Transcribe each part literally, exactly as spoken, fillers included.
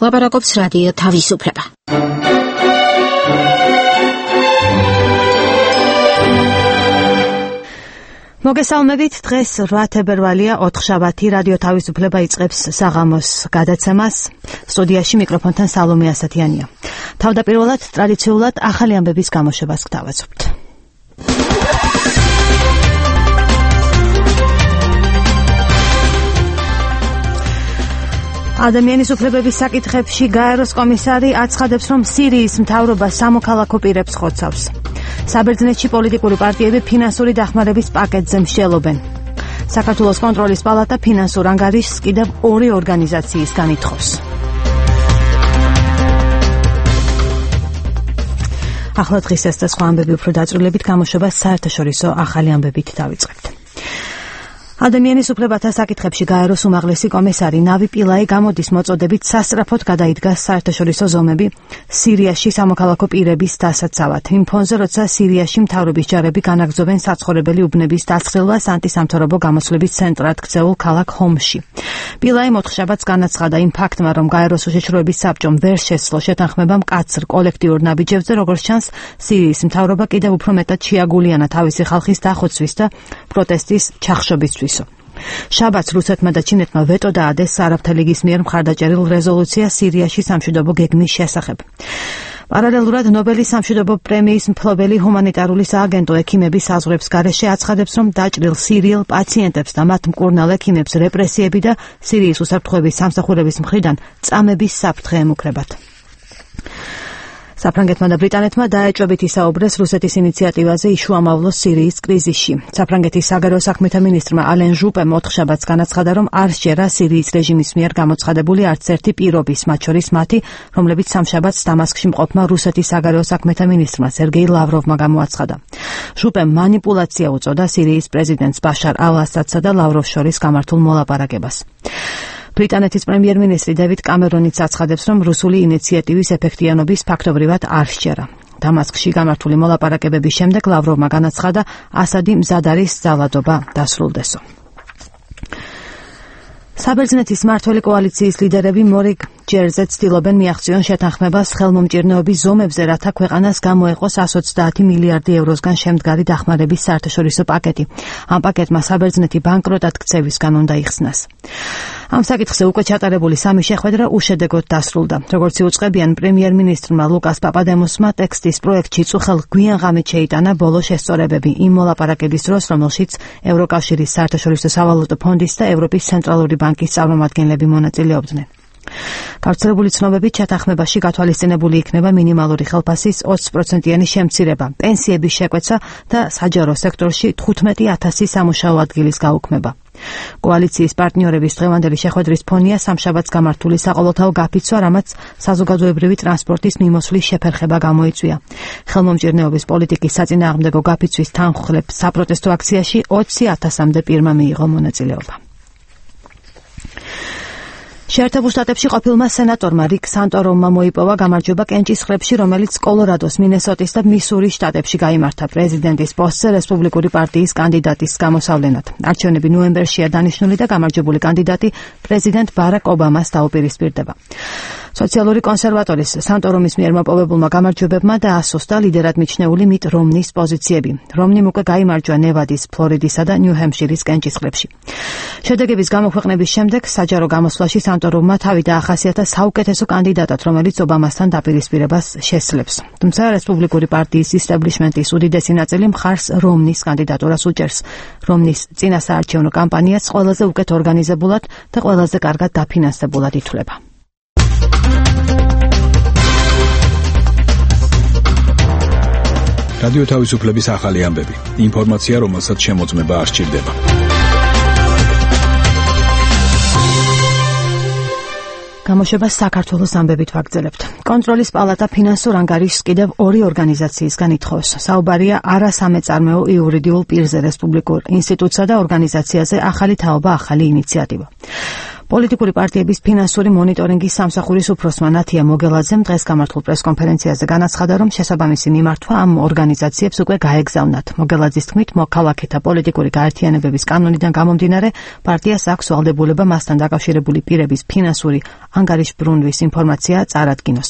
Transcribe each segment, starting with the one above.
ლაპარაკობს რადიო თავისუფლება. მოგესალმებით, დღეს რვა თებერვალია, ოთხშაბათი, რადიო თავისუფლება იწყებს საღამოს გადაცემას. სტუდიაში მიკროფონთან სალომე ასათიანია. თავდაპირველად ტრადიციულად ახალი ამბების გამოშვებას გთავაზობთ. ადამიანის უფლებების საკითხებში გაეროს კომისარი აცხადებს, რომ სირიის მთავრობა სამოქალაქო პირებს ხოცავს. საბერძნეთში პოლიტიკური პარტიები ფინანსური დახმარების პაკეტზე მსჯელობენ. საქართველოს კონტროლის პალატა ფინანსურ ანგარიშს კიდევ ორი ორგანიზაციისგან ითხოვს. ახლა დღის ეს და სხვა ამბები უფრო დაწვრილებით გამოშვებას საერთაშორისო ახალი ამბებით დავიწყებთ. ადამიანის უფლებათა საკითხებში გაეროს უმაღლესი კომისარი ნავი პილაი გამოდის მოწოდებით სასწრაფოდ გადაიდგა საერთაშორისო ზომები სირიაში სამოქალაქო პირების დასაცავად. იმ ფონზე, როცა სირიაში მთავრობის ჯარები განაგრძობენ საცხოვრებელი უბნების დასხილვას ანტისამთავრობო გამოსვლების ცენტრად ქცეულ ქალაქ ჰომსში. პილაი მოთხშაბათს განაცხადა იმ ფაქტმა, რომ გაეროს უშეშროების საბჭომ ვერ შესძლო შეთანხმება მკაცრ კოლექტიურ ნაბიჯებზე, როგორც ჩანს, სირიის მთავრობა კიდევ უფრო მეტად შეაგულიანა თავისი ხალხის დახოცვის და პროტესტის ჩახშობისთვის. შაბათს რუსეთმა და ჩინეთმა ვეტო დაადეს არაბთა ლიგის მიერ მხარდაჭერილ რეზოლუციას სირიაში სამშვიდობო გეგმის შესახებ. პარალელურად ნობელის სამშვიდობო პრემიის მფლობელი ჰუმანიტარული სააგენტო ექიმების საზღვრებს გარეშე აცხადებს, რომ დაჭრილ სირიელ პაციენტებს და მათ მკურნალ ექიმებს რეპრესიები და სირიის უსაფრთხოების სამსახურების მხრიდან წამების საფრთხე ემუქრებათ. საფრანგეთმა და ბრიტანეთმა დაეჭვებით ისაუბრეს რუსეთის ინიციატივაზე იშუამავლოს სირიის კრიზისში. საფრანგეთის საგარეო საქმეთა მინისტრმა ალენ ჟუპემ ოთხშაბათს განაცხადა, რომ არ სჯერა სირიის რეჟიმის მიერ გამოცხადებული არც ერთი პირობის, მათ შორის მათი, რომლებიც სამშაბათს დამასკში მყოფმა რუსეთის საგარეო საქმეთა მინისტრმა სერგეი ლავროვმა გამოაცხადა. ჟუპემ манипуляცია უწოდა სირიის პრეზიდენტს ბაშარ ალ-ასადსა და ლავროვს შორის გამართულ მოლაპარაკებას. ბრიტანეთის პრემიერ-მინისტრი დევიდ კამერონიც აცხადებს, რომ რუსული ინიციატივის ეფექტიანობის ფაქტობრივად არ სჯერა. დამასკში გამართული მოლაპარაკებების შემდეგ ლავროვმა განაცხადა, ასადი მზად არის ძალადობა დასრულდესო. საბერძნეთის მმართველი კოალიციის ლიდერები მორიგ ჯერზე ცდილობენ მიაღწიონ შეთანხმებას ხელმომჭირნეობის ზომებზე, რათა ქვეყანას გამოეყო εκατს ოცდაათი მილიარდი ევროსგან შემდგარი დახმარების საერთაშორისო პაკეტი. ამ პაკეტმა საბერძნეთი ბანკროტად ქცევისგან უნდა იხსნას. ამ საკითხზე უკვე ჩატარებული სამი შეხვედრა უშედეგოდ დასრულდა. როგორც იუწყებიან, პრემიერ-მინისტრმა ლუკას პაპადემოსმა ტექსტის პროექტში წუხელ გვიანღამით შეიტანა ბოლო შესწორებები იმ მოლაპარაკების დროს, რომელშიც ევროკავშირის საერთაშორისო სავალუტო ფონდის და ევროპის ცენტრალური ბანკის წარმომადგენლები მონაწილეობდნენ. გავრცელებული ცნობებით შეთანხმებაში გათვალისწინებული იქნება მინიმალური ხელფასის ოცი პროცენტიანი შემცირება, პენსიების შეკვეცა და საჯარო სექტორში თხუთმეტი ათასი სამუშაო ადგილის გაუქმება. კოალიციის პარტნიორების დღევანდელი შეხვედრის ფონია სამშაბათს გამართული საყოველთაო გაფიცვა, რამაც საზოგადოებრივი ტრანსპორტის მიმოსვლის შეფერხება გამოიწვია. ხელმომჭირნეობის პოლიტიკის საწინააღმდეგო გაფიცვის თანხმლებ საპროტესტო აქციაში ოცი ათასამდე პირმა მიიღო მონაწილეობა. შეერთებულ შტატებში ყოფილმა სენატორმა რიკ სანტორუმმა მოიპოვა გამარჯვება კენჭისყრებში, რომელიც კოლორადოს, მინესოტის და მისურის შტატებში გაიმართა პრეზიდენტის პოსტზე რესპუბლიკური პარტიის კანდიდატის გამოსავლენად. არჩევნები ნოემბერშია დანიშნული და გამარჯვებული კანდიდატი პრეზიდენტ ბარაკ ობამას დაუპირისპირდება. სოციალური კონსერვატორის სანტორუმის მიერ მოპოვებულმა გამარჯვებებმა დაასუსტა ლიდერად მიჩნეული მიტ რომნის პოზიციები. რომნიმ უკვე გაიმარჯვა ნევადის, ფლორიდისა და ნიუ-ჰემპშირის კენჭისყრებში. შედეგების გამოქვეყნების შემდეგ საჯარო გამოსვლაში სანტორუმმა თავი დაახასიათა საუკეთესო კანდიდატად, რომელიც ობამასთან დაპირისპირებას შესძლებს. თუმცა რესპუბლიკური პარტიის ისტაბლიშმენტის უდიდესი ნაწილი მხარს რომნის კანდიდატურას უჭერს. რომნის წინასაარჩევნო კამპანიაც ყველაზე უკეთ ორგანიზებულად და ყველაზე კარგად დაფინანსებულად ითვლება. რადიო თავისუფლების ახალი ამბები. ინფორმაცია, რომელსაც შემოწმება არ სჭირდება. გამოშვებას საქართველოს ამბებით ვაგრძელებთ. კონტროლის პალატა ფინანსურ ანგარიშს კიდევ ორი ორგანიზაციისგან ითხოვს. საუბარია არასამეწარმეო იურიდიულ პირზე, რესპუბლიკურ ინსტიტუტსა და ორგანიზაციაზე ახალი თაობა, ახალი ინიციატივა. პოლიტიკური პარტიების ფინანსური მონიტორინგის სამსახურის უფროსმა ნათია მოგელაძემ დღეს გამართულ პრესკონფერენციაზე განაცხადა, რომ შესაბამისი მიმართვა ამ ორგანიზაციებს უკვე გაეგზავნათ. მოგელაძის თქმით, მოქალაქეთა პოლიტიკური გაერთიანებების კანონიდან გამომდინარე, პარტიას აქვს ვალდებულება მასთან დაკავშირებული პირების ფინანსური ანგარიშბრუნვის ინფორმაცია წარადგინოს.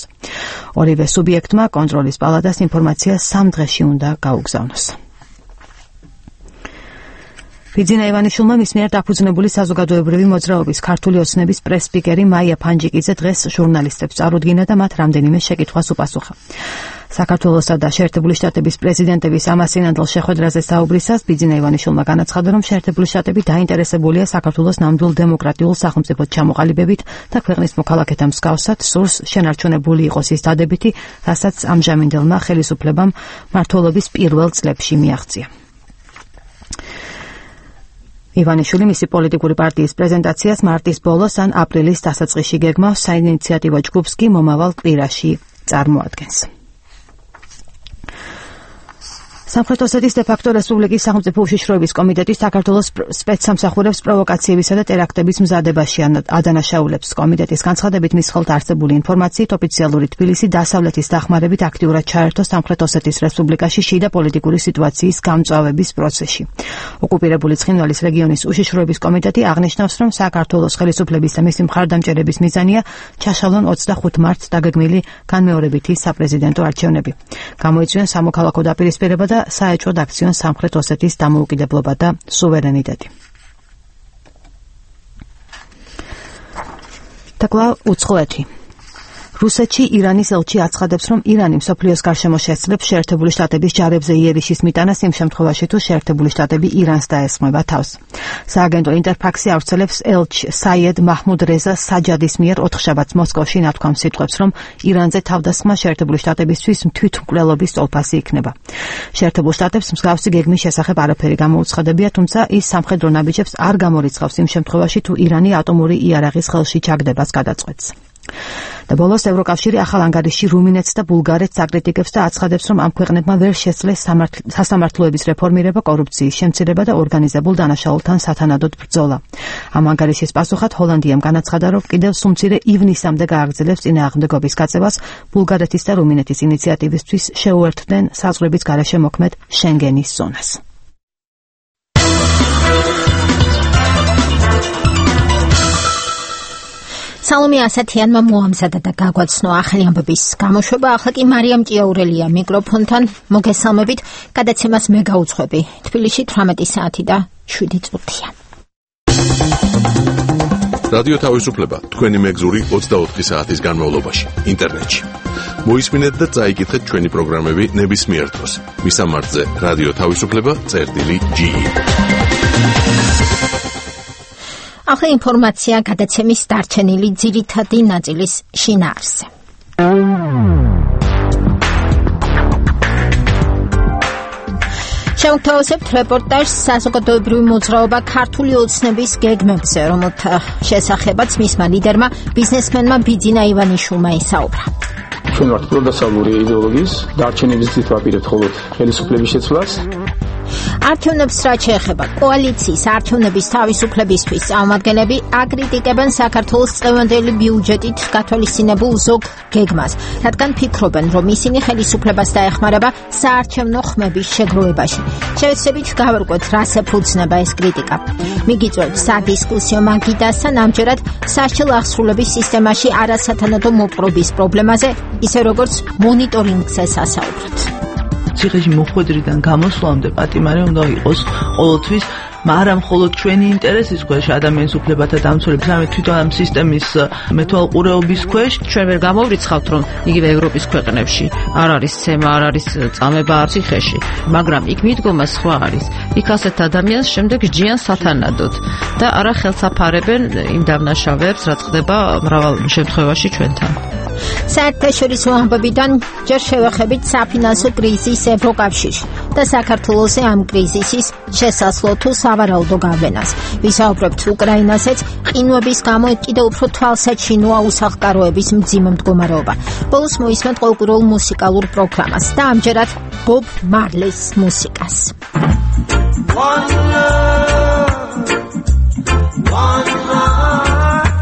ორივე სუბიექტმა კონტროლის პალატას ინფორმაცია სამ დღეში უნდა გაუგზავნოს. ბიძინა ივანიშვილმა მის მიერ დაფუძნებული საზოგადოებრივი მოძრაობის ქართული ოცნების პრეს-სპიკერი მაია ფანჯიკიძე დღეს ჟურნალისტებს წარუდგინა და მათ რამდენიმე შეკითხვას უპასუხა. საქართველოსა და შეერთებული შტატების პრეზიდენტების ამასინანდელ შეხვედრაზე საუბრისას ბიძინა ივანიშვილმა განაცხადა, რომ შეერთებული შტატები დაინტერესებულია საქართველოს ნამდვილ დემოკრატიულ სახელმწიფოდ ჩამოყალიბებით და ქვეყნის მოქალაქეთა მსგავსად სურს შენარჩუნებული იყოს ის დადებითი, რასაც ამჟამინდელმა ხელისუფლებამ მმართველობის პირველ წლებში მიაღწია. ივანიშვილი მისი პოლიტიკური პარტიის პრეზენტაციას მარტის ბოლოს ან აპრილის დასაწყისში გეგმავს, საინიციატივო ჯგუფს კი მომავალ კვირაში წარმოადგენს. სამხრეთ ოსეთის დე-ფაქტო რესპუბლიკის სახელმწიფო უშიშროების კომიტეტი საქართველოს სპეცსამსახურებს პროვოკაციებისა და ტერაქტების მზადებაში ადანაშაულებს. კომიტეტის განცხადებით, მის ხელთ არსებული ინფორმაციით ოფიციალური თბილისი დასავლეთის დახმარებით აქტიურად ჩაერთო სამხრეთ ოსეთის რესპუბლიკაში შიდა პოლიტიკური სიტუაციის გამწვავების პროცესში. ოკუპირებული ცხინვალის რეგიონის უშიშროების კომიტეტი აღნიშნავს, რომ საქართველოს ხელისუფლების და მისი მხარდამჭერების მიზანია ჩაშალონ ოცდახუთ მარტს დაგეგმილი განმეორებითი საპრეზიდენტო არჩევნები. გამოიწვიონ სამოქალაქო დაპირისპირება და საეჭვოდ აქციონ სამხრეთ ოსეთის დამოუკიდებლობა და სუვერენიტეტი. და კვლავ უცხოეთი. რუსეთში ირანის ელჩი აცხადებს, რომ ირანი მსოფლიოს გარშემო შესძლებს შეერთებული შტატების ჯარებზე იერიშის მიტანას იმ შემთხვევაში, თუ შეერთებული შტატები ირანს დაესხმება თავს. სააგენტო ინტერფაქსი ავრცელებს ელჩ საიედ მაჰმუდ რეზა საჯადის მიერ ოთხშაბათს მოსკოვში ნათქვამ სიტყვებს, რომ ირანზე თავდასხმა შეერთებული შტატებისთვის თვითმკვლელობის სტოლფასი იქნება. შეერთებულ შტატებს მსგავსი გეგმის შესახებ არაფერი გამოუცხადებია, თუმცა ის სამხედრო ნაბიჯებს არ გამორიცხავს იმ შემთხვევაში, თუ ირანი ატომური იარაღის ხელში ჩაგდებას გადაწყვეტს. და ბოლოს ევროკავშირი ახალ ანგარიშში რუმინეთს და ბულგარეთს აკრიტიკებს და აცხადებს, რომ ამ ქვეყნებმა ვერ შესძლეს სასამართლოების რეფორმირება, კორუფციის შემცირება და ორგანიზებულ დანაშაულთან სათანადოდ ბრძოლა. ამ ანგარიშის პასუხად ჰოლანდიამ განაცხადა, რომ კიდევ სუმცირე ივნისამდე გააგრძელებს წინააღმდეგობის გაწევას ბულგარეთის და რუმინეთის ინიციატივისთვის შეუერთდნენ საზღვრების გარეშე მოქმედ შენგენის ზონას. სალომე ასათიანმა მოამზადა და გაგვაცნო ახალი ამბების გამოშვება. ახლა კი მარიამ ჭიაურელია მიკროფონთან. მოგესალმებით. გადაცემას მე გაუძღვები. თბილისში თვრამეტი საათი და შვიდი წუთია. რადიო თავისუფლება თქვენი მეგზური ოცდაოთხი საათის განმავლობაში ინტერნეტში. მოისმინეთ და წაიკითხეთ ჩვენი პროგრამები ნებისმიერ დროს. მისამართზე რადიო თავისუფლება წერტილი ჯი ი. ახლა ინფორმაცია გადაცემის დარჩენილი ძირითადი ნაწილის შინაარსზე. შევთავაზებთ რეპორტაჟს საზოგადოებრივი მოძრაობა ქართული ოცნების გეგმებზე, რომელთა შესახებაც მისმა ლიდერმა ბიზნესმენმა ბიძინა ივანიშვილმა ისაუბრა. ჩვენ ვართ პროდასავლური იდეოლოგიის დარჩენების გზით ვაპირებთ მხოლოდ ხელისუფლების შეცვლას. არჩევნებს რაც შეეხება კოალიციის არჩევნების თავისუფლებისთვის წარმომადგენლები აკრიტიკებენ საქართველოს წლევანდელი ბიუჯეტით გათვალისწინებულ ზოგ გეგმას, რადგან ფიქრობენ, რომ ისინი ხელისუფლებას დაეხმარება საარჩევნო ხმების შეგროვებაში. შევეცდებით გავარკვევთ, რას ეფუძნება ეს კრიტიკა. მიგიწევთ სადისკუსიო მაგიდასთან ამჯერად სასჯელ აღსრულების სისტემაში არასათანადო მოპყრობის პრობლემაზე, ისე როგორც მონიტორინგზე სასაუბროთ. ციხეში მოხვედრიდან გამოსვლამდე პატიმარი უნდა იყოს ყოველთვის, მაგრამ მხოლოდ ჩვენი ინტერესის ქვეშ, ადამიანის უფლებათა დამცველების, ამე თვითონ ამ სისტემის მეთვალყურეობის ქვეშ. ჩვენ ვერ გამოვრიცხავთ, რომ იგივე ევროპის ქვეყნებში არ არის ცემა, არ არის წამება ციხეში, მაგრამ იქ მიდგომა სხვა არის. იქ ასეთ ადამიანს შემდეგ ჯიან სათანადოდ და არა ხელსაფარებენ იმ დამნაშავეებს, რაც ხდება მრავალ შემთხვევაში ჩვენთან. საერთაშორისო ამბებიდან ჯერ შევეხებით საფინანსო კრიზისს ევროკავშირში და საქართველოსზე ამ კრიზისის შესაძლო თუ სავარაუდო გავლენას. ვისაუბრებთ უკრაინასაც, ყინვების გამო კიდევ უფრო თვალსაჩინოა უსახლკაროების მძიმე მდგომარეობა. ბოლოს მოისმენთ ყოველკვირეულ მუსიკალურ პროგრამას და ამჯერად ბობ მარლის მუსიკას. One love, one heart.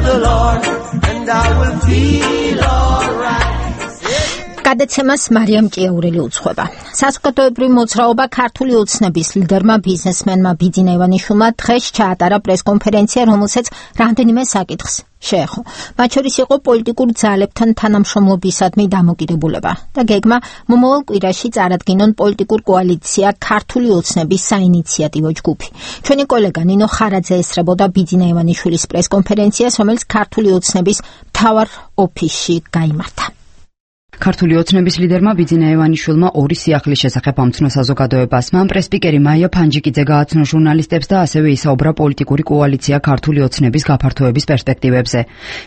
the Lord and I will feel alright. გადაცემას მარიამ ჭიაურელი უძღვება. საზოგადოებრივი მოძრაობა ქართული ოცნების ლიდერმა ბიზნესმენმა ბიძინა ივანიშვილმა დღეს ჩაატარა პრესკონფერენცია, რომელსაც რამდენიმე საკითხს შეეხო. მათ შორის იყო პოლიტიკურ ძალებთან თანამშრომლობისადმი დამოკიდებულება და გეგმა მომავალ კვირაში წარადგინონ პოლიტიკურ კოალიცია ქართული ოცნების საინიციატივო ჯგუფი. ჩვენი კოლეგა ნინო ხარაძე ესწრებოდა ბიძინა ივანიშვილის პრესკონფერენციას, რომელიც ქართული ოცნების მთავარ ოფისში გაიმართა. ქართული ოცნების ლიდერმა ბიძინა ივანიშვილმა ორი სიახლის შესახებ ამცნო საზოგადოებას. მან პრესპიკერი მაია ფანჯიკიძე გააცნო ჟურნალისტებს და ასევე ისაუბრა პოლიტიკური კოალიცია ქართული ოცნების გაფართოების პერსპექტივებზე.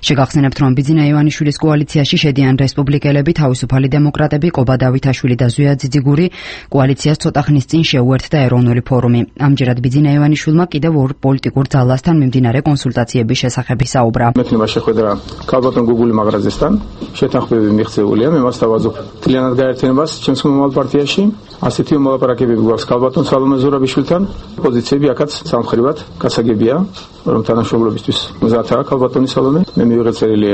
შეგახსენებთ, რომ ბიძინა ივანიშვილის კოალიციაში შედიან რესპუბლიკელები, თავისუფალი დემოკრატები, ყობა დავითაშვილი და ზვია ძიძიგური. კოალიციას ცოტა ხნის წინ შეუერთდა ეროვნული ფორუმი. ამჯერად ბიძინა ივანიშვილმა კიდევ ორ პოლიტიკურ ძალასთან მიმდინარე კონსულტაციების შესახებ ისაუბრა. მექნება შეხვედრა ქალბატონ გუგული მაღრაძესთან, შეთანხმებები მიღწეულია. მას დავაძობ თლიანად გაერთიანებას ჩემს მომავალ პარტიაში. ასეთი მოლაპარაკებები გვაქვს ქალბატონ სალომე ზურაბიშვილთან. პოზიციები აქაც სამხრივად გასაგებია, რომ თანამშრომლობისთვის მზადაა ქალბატონი სალომე. მე მივიღე წერილი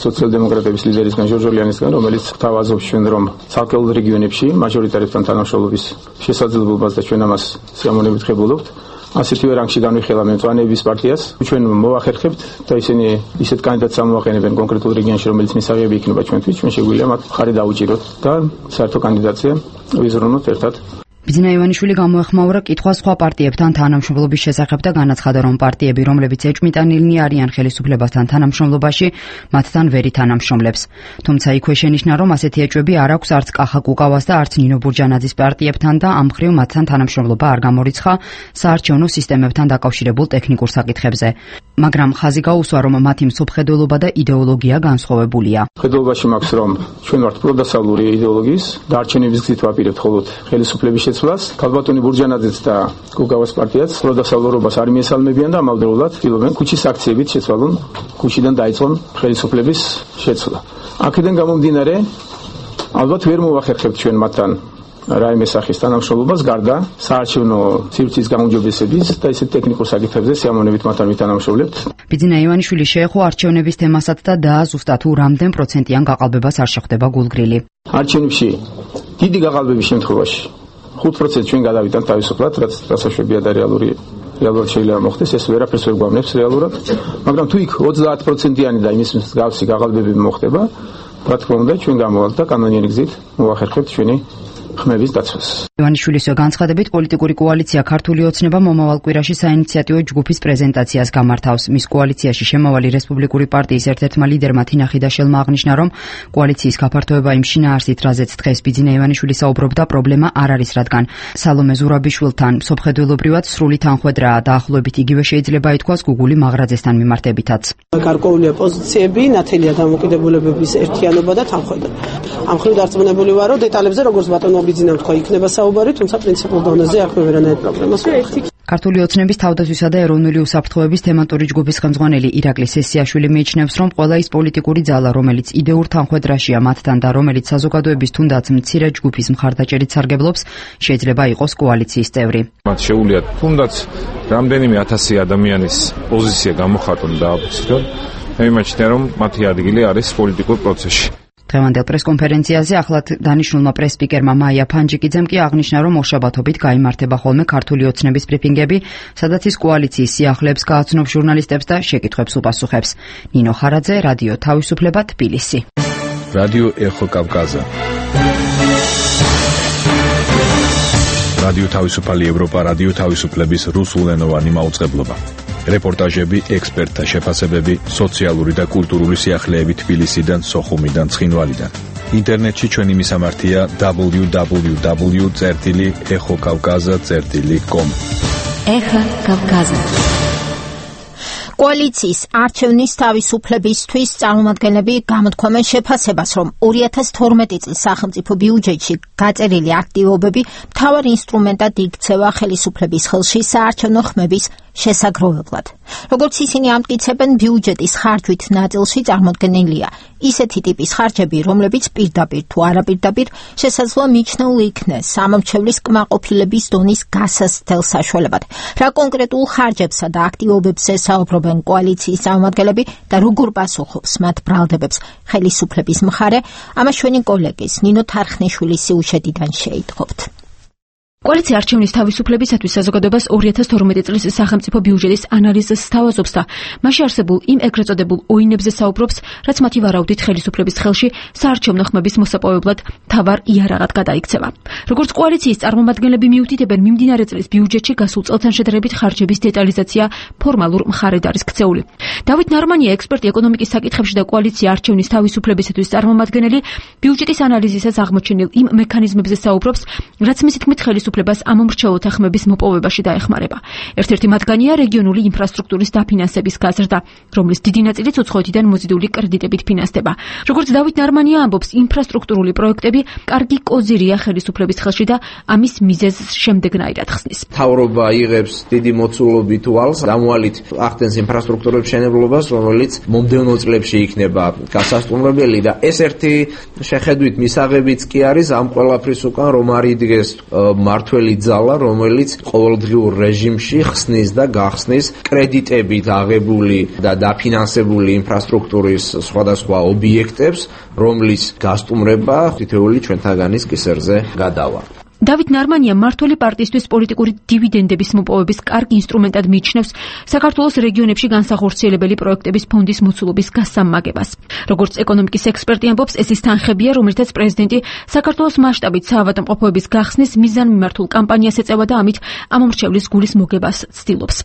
სოციალ-დემოკრატების ლიდერისგან ჟორჟოლიანისგან, რომელიც თავაზობს ჩვენ, რომ ცალკეულ რეგიონებში მაჟორიტარებთან თანამშრომლობის შესაძლებლობას და ჩვენ ამას სიამოვნებით ხებულობთ. ასეთივე რანგში განვიხილავ მწვანეების პარტიას. ჩვენ მოვახერხებთ და ისინი ისეთ კანდიდატს ამოვაყენებენ კონკრეტულ რეგიონში, რომელიც მისაღები იქნება ჩვენთვის. ჩვენ შეგვიძლია მათ ხარი დაუჭიროთ და საერთო კანდიდატზე ვიზრუნოთ ერთად. ბიძინა ივანიშვილი გამოეხმაურა კითხვა სხვა პარტიებთან თანამშრომლობის შესახებ და განაცხადა, რომ პარტიები, რომლებიც ეჭვმიტანილნი არიან ხელისუფლებასთან თანამშრომლობაში, მათთან ვერ ითანამშრომლებს. თუმცა იქვე შენიშნა, რომ ასეთი ეჭვები არ აქვს არც კახა კუკავას და არც ნინო ბურჯანაძის პარტიებთან და ამ მხრივ მათთან თანამშრომლობა არ გამორიცხა საარჩევნო სისტემებთან დაკავშირებულ ტექნიკურ საკითხებზე. მაგრამ ხაზი გაუსვა, რომ მათი მსოფლმხედველობა და იდეოლოგია განსხვავებულია. მხედველობაში მაქვს, რომ ჩვენ ვართ პროდასავლური იდეოლოგიის და არჩევნების გზით ვაპირებთ მხოლოდ ხელისუფლების შეცვლას. ქალბატონი ბურჯანაძეც და გუგავას პარტიაც პროდასავლურობას არ მიესალმებიან და ამავდროულად ცდილობენ ქუჩის აქციებით შეცვალონ, ქუჩიდან დაიწყონ ხელისუფლების შეცვლა. აქედან გამომდინარე, ალბათ ვერ მოვახერხებთ ჩვენ მათთან რაიმე სახის თანამშრომლობას, გარდა საარჩევნო სივრცის გაუმჯობესების და ისეთ ტექნიკურ საკითხებზე სიამოვნებით მათთან ვითანამშრომლებთ. ბიძინა ივანიშვილი შეეხო არჩევნების თემასაც და დააზუსტა თუ რამდენ პროცენტიან გაყალბებას არ შეხვდება გულგრილი. არჩევნებში დიდი გაყალბების შემთხვევაში ხუთ პროცენტს ჩვენ გადავიტანთ თავისუფლად, რაც დასაშვებია და რეალური რეალურად შეიძლება მოხდეს, ეს ვერაფერს ვერ გვამნებს რეალურად, მაგრამ თუ იქ ოცდაათ პროცენტიანი და იმის მსგავსი გაყალბები მოხდება, რა თქმა უნდა, ჩვენ გამოვალთ და კანონიერი გზით მოვახერხებთ ჩვენი ხმების დაცვას. ივანიშვილის განცხადებით, პოლიტიკური კოალიცია ქართული ოცნება მომავალ კვირაში საინიციატივო ჯგუფის პრეზენტაციას გამართავს. მის კოალიციაში შემავალი რესპუბლიკური პარტიის ერთ-ერთმა ლიდერმა თინა ხიდაშელმა აღნიშნა, რომ კოალიციის გაფართოება იმ შინაარსით, რაზეც დღეს ბიძინა ივანიშვილი საუბრობდა, პრობლემა არ არის, რადგან სალომე ზურაბიშვილთან მსოფლმხედველობრივად სრული თანხვედრაა, დაახლოებით იგივე შეიძლება ითქვას გუგული მაღრაძესთან მიმართებითაც. გარკვეულია პოზიციები, ნათელია დამოკიდებულებების ერთიანობა და თანხვედრა. ამ მხრივ დარწმუნებული ვარო, დეტალებზე როგორც ბატონო ბიძინამ თქვა, იქნება საუბარი, თუმცა პრინციპულ დონეზე აქვე ვერანაირ პრობლემას ვერ აქვს. ქართული ოცნების თავდაცვისა და ეროვნული უსაფრთხოების თემატური ჯგუფის ხელმძღვანელი ირაკლი სესიაშვილი მიიჩნევს, რომ ყველა ის პოლიტიკური ძალა, რომელიც იდეურ თანხვედრაშია მათთან და რომელიც საზოგადოების თუნდაც მცირე ჯგუფის მხარდაჭერით სარგებლობს, შეიძლება იყოს კოალიციის წევრი. მათ შეუძლიათ თუნდაც რამდენიმე ათასი ადამიანის პოზიცია გამოხატონ და აფიქსირონ. მე მიმაჩნია, რომ მათი ადგილი არის პოლიტიკურ პროცესში. დღევანდელ პრესკონფერენციაზე ახლად დანიშნულმა პრესპიკერმა მაია ფანჯიკიძემ კი აღნიშნა, რომ ორშაბათობით გაიმართება ხოლმე ქართული ოცნების ბრიფინგები, სადაც ის კოალიციის სიახლეებს გააცნობს ჟურნალისტებს და შეკითხვებს უპასუხებს. ნინო ხარაძე, რადიო თავისუფლება, თბილისი. რადიო ეხო კავკაზა. რადიო თავისუფალი ევროპა, რადიო თავისუფლების რუსულენოვანი მაუწყებლობა. რეპორტაჟები, ექსპერტთა შეფასებები, სოციალური და კულტურული სიახლეები თბილისიდან, სოხუმიდან, ცხინვალიდან. ინტერნეტში ჩვენი მისამართია დაბლიუ დაბლიუ დაბლიუ წერტილი ეხო კავკაზა წერტილი კომ. ეხო კავკაზა. კოალიციის არჩევნის თავისუფლებისთვის წარმომადგენლები გამოთქვამენ შეფასებას, რომ ორი ათას თორმეტი წლის სახელმწიფო ბიუჯეტში გაწერილი აქტივობები მთავარ ინსტრუმენტად იქცევა ხელისუფლების ხელში საარჩევნო ხმების შესაგროვებლად. Როგორც ისინი ამტკიცებენ, ბიუჯეტის ხარჯვით ნაწილში წარმოდგენილია ისეთი ტიპის ხარჯები, რომლებიც პირდაპირ თუ არაპირდაპირ შესაძლოა მიჩნეულ იქნეს სამომრჩევლის კმაყოფილების დონის გასაცდელ საშუალებად. Რა კონკრეტულ ხარჯებსა და აქტივობებს ესაუბრებენ კოალიციის წარმომადგენლები და როგორ პასუხობს მათ ბრალდებებს ხელისუფლების მხარე, ამას ჩვენი კოლეგის ნინო თარხნიშვილის სიუჟეტიდან შეიტყობთ. კოალიცია არჩევნის თავისუფლებისათვის საზოგადოებას ორი ათას თორმეტი წლის სახელმწიფო ბიუჯეტის ანალიზს სთავაზობს და მასში არსებულ იმ ეგრეთ წოდებულ ოინებზე საუბრობს, რაც მათი ვარაუდით ხელისუფლების ხელში საარჩევნო ხმების მოსაპოვებლად მთავარ იარაღად გადაიქცევა. Როგორც კოალიციის წარმომადგენლები მიუთითებენ, მიმდინარე წლის ბიუჯეტში გასულ წელთან შედარებით ხარჯების დეტალიზაცია ფორმალურ მხარედ არის ქცეული. დავით ნარმანია, ექსპერტი ეკონომიკის საკითხებში და კოალიცია არჩევნის თავისუფლებისათვის წარმომადგენელი, ბიუჯეტის ანალიზისას აღმოჩენილ იმ მექანიზმებზე საუბრობს, რაც მისი თქმით ხელისუფლებას ამომრჩეველთა ხმების მოპოვებაში დაეხმარება. ერთ-ერთი მათგანია რეგიონული ინფრასტრუქტურის დაფინანსების გაზრდა, რომლის დიდი ნაწილიც უცხოეთიდან მოზიდული კრედიტებით ფინანსდება. Როგორც დავით ნარმანია ამბობს, ინფრასტრუქტურული პროექტები კარგი კოზირია ხელისუფლების ხელში და ამის მიზეზს შემდეგნაირად ხსნის. მთავრობა იღებს დიდი მოცულობით ვალს, დამოალით ახდენს ინფრასტრუქტურების მშენებლობას, რომელიც მომდევნო წლებში იქნება გასასტუმრებელი და ეს ერთი შეხედვით მისაღებიც კი არის ამ ყველაფრის უკან, რომ არ იდგეს მართველი ძალა, რომელიც ყოველდღიურ რეჟიმში ხსნის და გახსნის კრედიტებით აღებული და დაფინანსებული ინფრასტრუქტურის სხვადასხვა ობიექტებს, რომლის გასტუმრება თითოეული ჩვენთაგანის კისერზე გადავა. დავით ნარმანია მმართველი პარტიისთვის პოლიტიკური დივიდენდების მოპოვების კარგ ინსტრუმენტად მიიჩნევს საქართველოს რეგიონებში განსახორციელებელი პროექტების ფონდის მოცულობის გასამაგებას. Როგორც ეკონომიკის ექსპერტი ამბობს, ეს ის თანხებია, რომელთაც პრეზიდენტი საქართველოს მასშტაბით საავადმყოფოების გახსნის მიზანმიმართულ კამპანიას ეწევა და ამით ამომრჩევლის გულის მოგებას ცდილობს.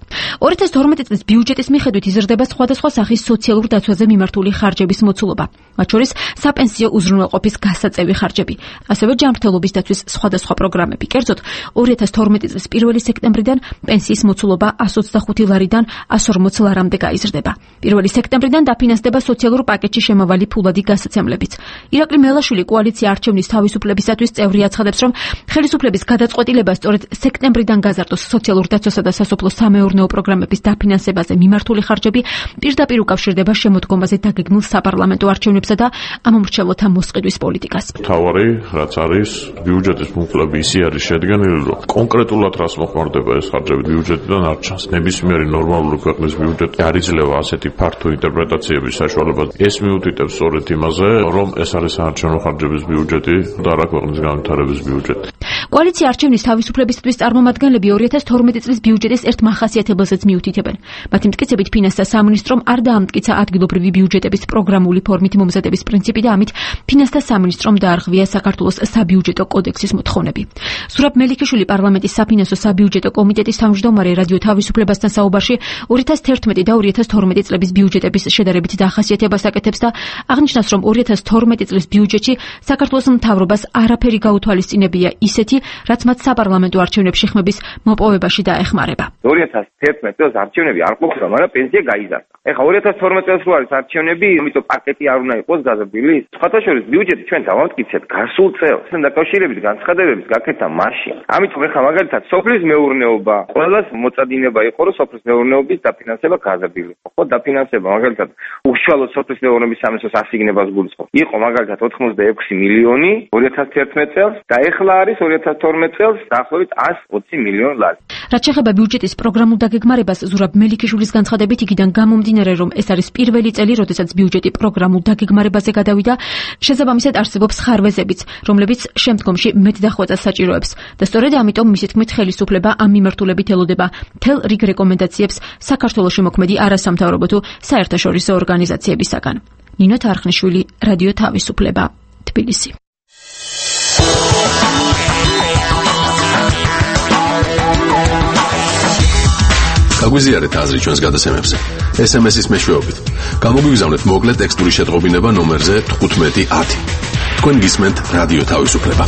ორი ათას თორმეტი წლის ბიუჯეტის მიხედვით იზრდება სხვადასხვა სახის სოციალურ დაცვაზე მიმართული ხარჯების მოცულობა, მათ შორის საპენსიო უზრუნველყოფის გასაწევი ხარჯები, ასევე ჯანმრთელობის დაცვის სხვადასხვა პროგრამები. Კერძოდ, ორი ათას თორმეტი წლის პირველი სექტემბრიდან პენსიის მოცულობა εκατს ოცდახუთი ლარიდან εκατს ორმოც ლარამდე გაიზრდება. პირველი სექტემბრიდან დაფინანსდება სოციალურ პაკეტში შემავალი ფულადი გასაცემლებიც. ირაკლი მელაშვილი კოალიცია არჩევნის თავისუფლებისათვის წევრი აცხადებს, რომ ხელისუფლების გადაწყვეტილება სწორედ სექტემბრიდან გაზარდოს სოციალურ დაცვასა და სასოფლო სამეურნეო პროგრამების დაფინანსებაზე მიმართული ხარჯები პირდაპირ უკავშირდება შემოდგომაზე დაგეგმილ საპარლამენტო არჩევნებსა და ამომრჩეველთა მოსყიდვის პოლიტიკას. მთავარი, რაც არის ბიუჯეტის მუხლები ისი არის შედგენილი, რომ კონკრეტულად რას მოხმარდება ეს ხარჯები ბიუჯეტიდან არ ჩანს. ნებისმიერი ნორმალური ქვეყნის ბიუჯეტი არ იძლევა ასეთი ფართო ინტერპრეტაციების საშუალებას. ეს მიუთითებს სწორედ იმაზე, რომ ეს არის საარჩევნო ხარჯების ბიუჯეტი და არა ქვეყნის განვითარების ბიუჯეტი. კოალიცია არჩევნის თავისუფლებისათვის წარმომადგენლები ორი ათას თორმეტი წლის ბიუჯეტის ერთ მახასიათებელსაც მიუთითებენ. მათი მტკიცებით ფინანსთა სამინისტრომ არ დაამტკიცა ადგილობრივი ბიუჯეტების პროგრამული ფორმით მომზადების პრინციპი და ამით ფინანსთა სამინისტრომ დაარღვია საქართველოს საბიუჯეტო კოდექსის მოთხოვნები. ზურაბ მელიქიშვილი პარლამენტის საფინანსო საბიუჯეტო კომიტეტის თავმჯდომარე რადიო თავისუფლებასთან საუბარში ორი ათას თერთმეტი და ორი ათას თორმეტი წლების ბიუჯეტების შედარებით დახასიათებას აკეთებს და აღნიშნავს, რომ ორი ათას თორმეტი წლის ბიუჯეტში საქართველოს მთავრობას არაფერი გაუთვალისწინებია ისეთი, რაც მათ საპარლამენტო არჩევნებში ხმების მოპოვებაში დაეხმარება. ორი ათას თერთმეტი წელს არჩევნები არ ყოფილა, მაგრამ პენსია გაიზარდა. ეხლა ორი ათას თორმეტი წელს რო არის არჩევნები, ამიტომ პაკეტი არ უნდა იყოს გაზრდილი. სხვათა შორის ბიუჯეტი ჩვენ დავამტკიცებთ გასულ წელს. დაკავშირებით განცხადებების გაკეთა მაშინ. ამიტომ ეხლა მაგალითად სოფლის მეურნეობა, ყველას მოწადინება იყო, რომ სოფლის მეურნეობის დაფინანსება გაზრდილი. ხო, დაფინანსება მაგალითად უშუალოდ სოფლის მეურნეობის სამინისტროს ასიგნებას გულისხმობს. იყო მაგალითად ოთხმოცდაექვსი მილიონი ორი ათას თერთმეტი წელს და ეხლა არის ორი ათას თორმეტი წელს დაახლოებით εκατს ოცი მილიონი ლარი. რაც შეეხება ბიუჯეტის პროგრამულ დაგეგმარებას, ზურაბ მელიქიშვილის განცხადებით იქიდან გამომდინარე, რომ ეს არის პირველი წელი, როდესაც ბიუჯეტი პროგრამულ დაგეგმარებაზე გადავიდა, შესაბამისად არსებობს ხარვეზებიც, რომლებიც შემდგომში მეტ დახვეწას საჭიროებს და სწორედ ამიტომ მისი თქმით ხელისუფლება ამ მიმართულებით ელოდება მთელ რიგ რეკომენდაციებს საქართველოში მოქმედი არასამთავრობო თუ საერთაშორისო ორგანიზაციებისაგან. ნინო თარხნიშვილი, რადიო თავისუფლება, თბილისი. გაგვიზიარეთ აზრი ჩვენს გადაცემებზე. ეს ემ ეს-ის მეშვეობით. გამოგვიგზავნეთ მოკლე ტექსტური შეტყობინება ნომერზე თხუთმეტი ათი. თქვენ გისმენთ რადიო თავისუფლება.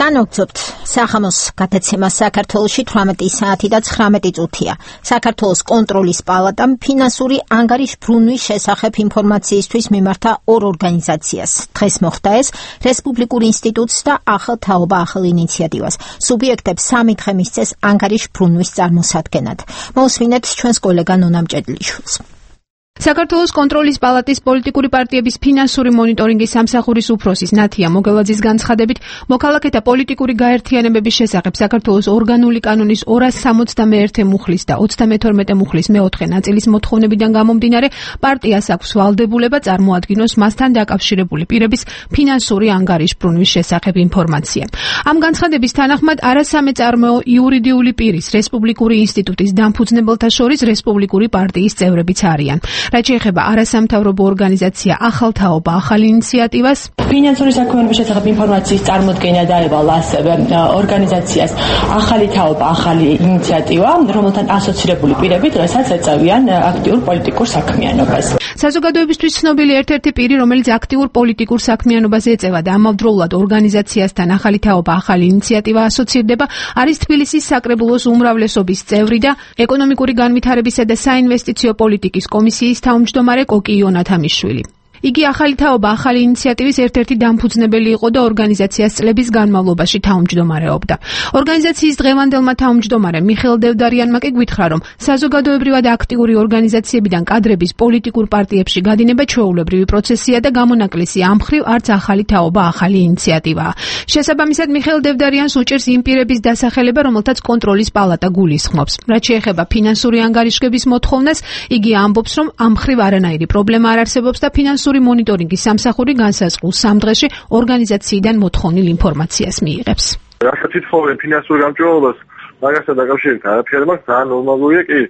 განვაგრძობთ სახამოს გადაცემას საქართველოში თვრამეტი საათი და ცხრამეტი წუთია. საქართველოს კონტროლის პალატამ ფინანსური ანგარიშბრუნვის შესახებ ინფორმაციისთვის მიმართა ორ ორგანიზაციას. დღეს მოხდა ეს რესპუბლიკურ ინსტიტუტს და ახალ თაობა ახალ ინიციატივას. სუბიექტებს სამი დღე მისცეს ანგარიშბრუნვის წარმოსადგენად. მოусმინეთ ჩვენს კოლეგა ნონა მჭედლიშვილს. საქართველოს კონტროლის პალატის პოლიტიკური პარტიების ფინანსური მონიტორინგის სამსახურის უფროსის ნათია მოგელაძის განცხადებით, მოქალაქეთა პოლიტიკური გაერთიანებების შესახებ საქართველოს ორგანული კანონის ორას სამოცდამეერთე მუხლის და ოცდამეთორმეტე მუხლის მეოთხე ნაწილის მოთხოვნებიდან გამომდინარე, პარტიას აქვს ვალდებულება წარმოადგინოს მასთან დაკავშირებული პირების ფინანსური ანგარიშბრუნვის შესახებ ინფორმაცია. ამ განცხადების თანახმად არასამეწარმეო იურიდიული პირის რესპუბლიკური ინსტიტუტის დამფუძნებელთა შორის რესპუბლიკური პარტიის წევრებიც არიან. რაც შეეხება არასამთავრობო ორგანიზაცია ახალ თაობა ახალ ინიციატივას, ფინანსური საქმიანობის შესახებ ინფორმაციის წარმოდგენა დაევალა ასევე ორგანიზაციას ახალი თაობა ახალი ინიციატივა, რომელთან ასოცირებული პირები დღესაც ეწევიან აქტიურ პოლიტიკურ საქმიანობას. საზოგადოებისთვის ცნობილი ერთ-ერთი პირი, რომელიც აქტიურ პოლიტიკურ საქმიანობას ეწევა და ამავდროულად ორგანიზაციასთან ახალი თაობა ახალი ინიციატივა ასოცირდება, არის თბილისის საკრებულოს უმრავლესობის წევრი და ეკონომიკური განვითარებისა და საინვესტიციო პოლიტიკის კომისიის თავმჯდომარე კოკი იონათამიშვილი. იგი ახალი თაობა ახალი ინიციატივის ერთ-ერთი დამფუძნებელი იყო და ორგანიზაციას წლების განმავლობაში თავმჯდომარეობდა. ორგანიზაციის დღევანდელმა თავმჯდომარემ მიხეილ დევდარიანმა კი გვითხრა, რომ საზოგადოებრივად აქტიური ორგანიზაციებიდან კადრების პოლიტიკურ პარტიებში გადინება ჩვეულებრივი პროცესია და გამონაკლისი ამ მხრივ არც ახალი თაობა ახალი ინიციატივაა. შესაბამისად, მიხეილ დევდარიანს უჭერს იმ პირების დასახელება, რომელთაც კონტროლის პალატა გულისხმობს. რაც შეეხება ფინანსური ანგარიშგების მოთხოვნას, იგი ამბობს, რომ ამ მხრივ არანაირი პრობლემა არ არსებობს და ფინანსური მონიტორინგის სამსახური განსაზღვრულ სამ დღეში ორგანიზაციიდან მოთხოვნილ ინფორმაციას მიიღებს. რასაც ითხოვენ ფინანსურ გამჭვირვალობას, მაგასთან დაკავშირებით არაფერი მაქვს, ძალიან ნორმალურია კი,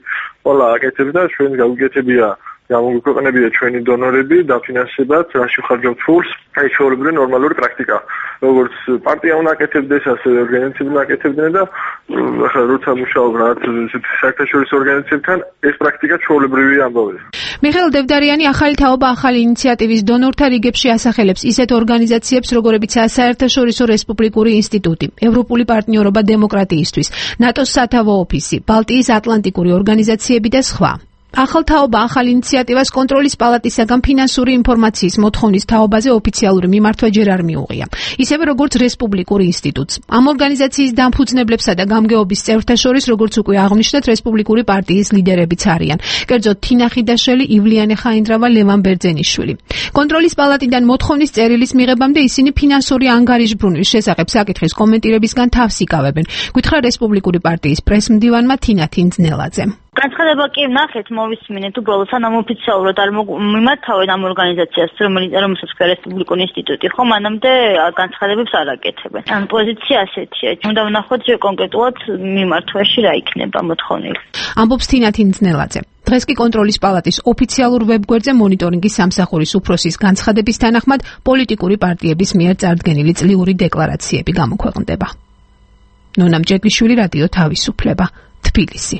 ყველა აკეთებს და ჩვენ გაუგეთებია გამოგვიქვეყნებია ჩვენი დონორები დაფინანსებად, რაში ხარჯავთ ფულს, აი ჩვეულებრივი ნორმალური პრაქტიკა. როგორც პარტია უნდა აკეთებდეს, ასევე ორგანიზაციები უნდა აკეთებდნენ და ახლა როცა მუშაობ რაღაც საერთაშორისო ორგანიზაციებთან, ეს პრაქტიკა ჩვეულებრივი ამბავია. მიხეილ დევდარიანი ახალი თაობა ახალი ინიციატივის დონორთა რიგებში ასახელებს ისეთ ორგანიზაციებს, როგორებიცაა საერთაშორისო რესპუბლიკური ინსტიტუტი, ევროპული პარტნიორობა დემოკრატიისთვის, ნატოს სათავო ოფისი, ბალტიის ატლანტიკური ორგანიზაციები და სხვა. ახალ თაობა ახალ ინიციატივას კონტროლის პალატისაგან ფინანსური ინფორმაციის მოთხოვნის თაობაზე ოფიციალური მიმართვა ჯერ არ მიუღია. ისევე როგორც რესპუბლიკურ ინსტიტუტს. ამ ორგანიზაციის დამფუძნებლებსა და გამგეობის წევრთა შორის, როგორც უკვე აღნიშნეთ, რესპუბლიკური პარტიის ლიდერებიც არიან. კერძოდ თინა ხიდაშელი, ივლიანე ხაინდრავა, ლევან ბერძენიშვილი. კონტროლის პალატიდან მოთხოვნის წერილის მიღებამდე ისინი ფინანსური ანგარიშბრუნვის შესახებ საკითხის კომენტირებისგან თავს იკავებენ. გითხრა რესპუბლიკური პარტიის პრესმდივანმა თინა თინძნელაძემ. განცხადება კი ნახეთ, მოვისმინეთ უბრალოდ სანამ ოფიციალურად არ მიმართავენ ამ ორგანიზაციას, რომელსაც ქვია რესპუბლიკური ინსტიტუტი, ხო, მანამდე განცხადებებს არ აკეთებენ. ან პოზიცია ასეთია. უნდა ვნახოთ ჯერ კონკრეტულად მიმართვაში რა იქნება მოთხოვნილი. ამბობს თინა თინძნელაძე. დღეს კი კონტროლის პალატის ოფიციალურ ვებგვერდზე მონიტორინგის სამსახურის უფროსის განცხადების თანახმად პოლიტიკური პარტიების მიერ წარდგენილი წლიური დეკლარაციები გამოქვეყნდება. ნონა მჭედლიშვილი, რადიო თავისუფლება, თბილისი.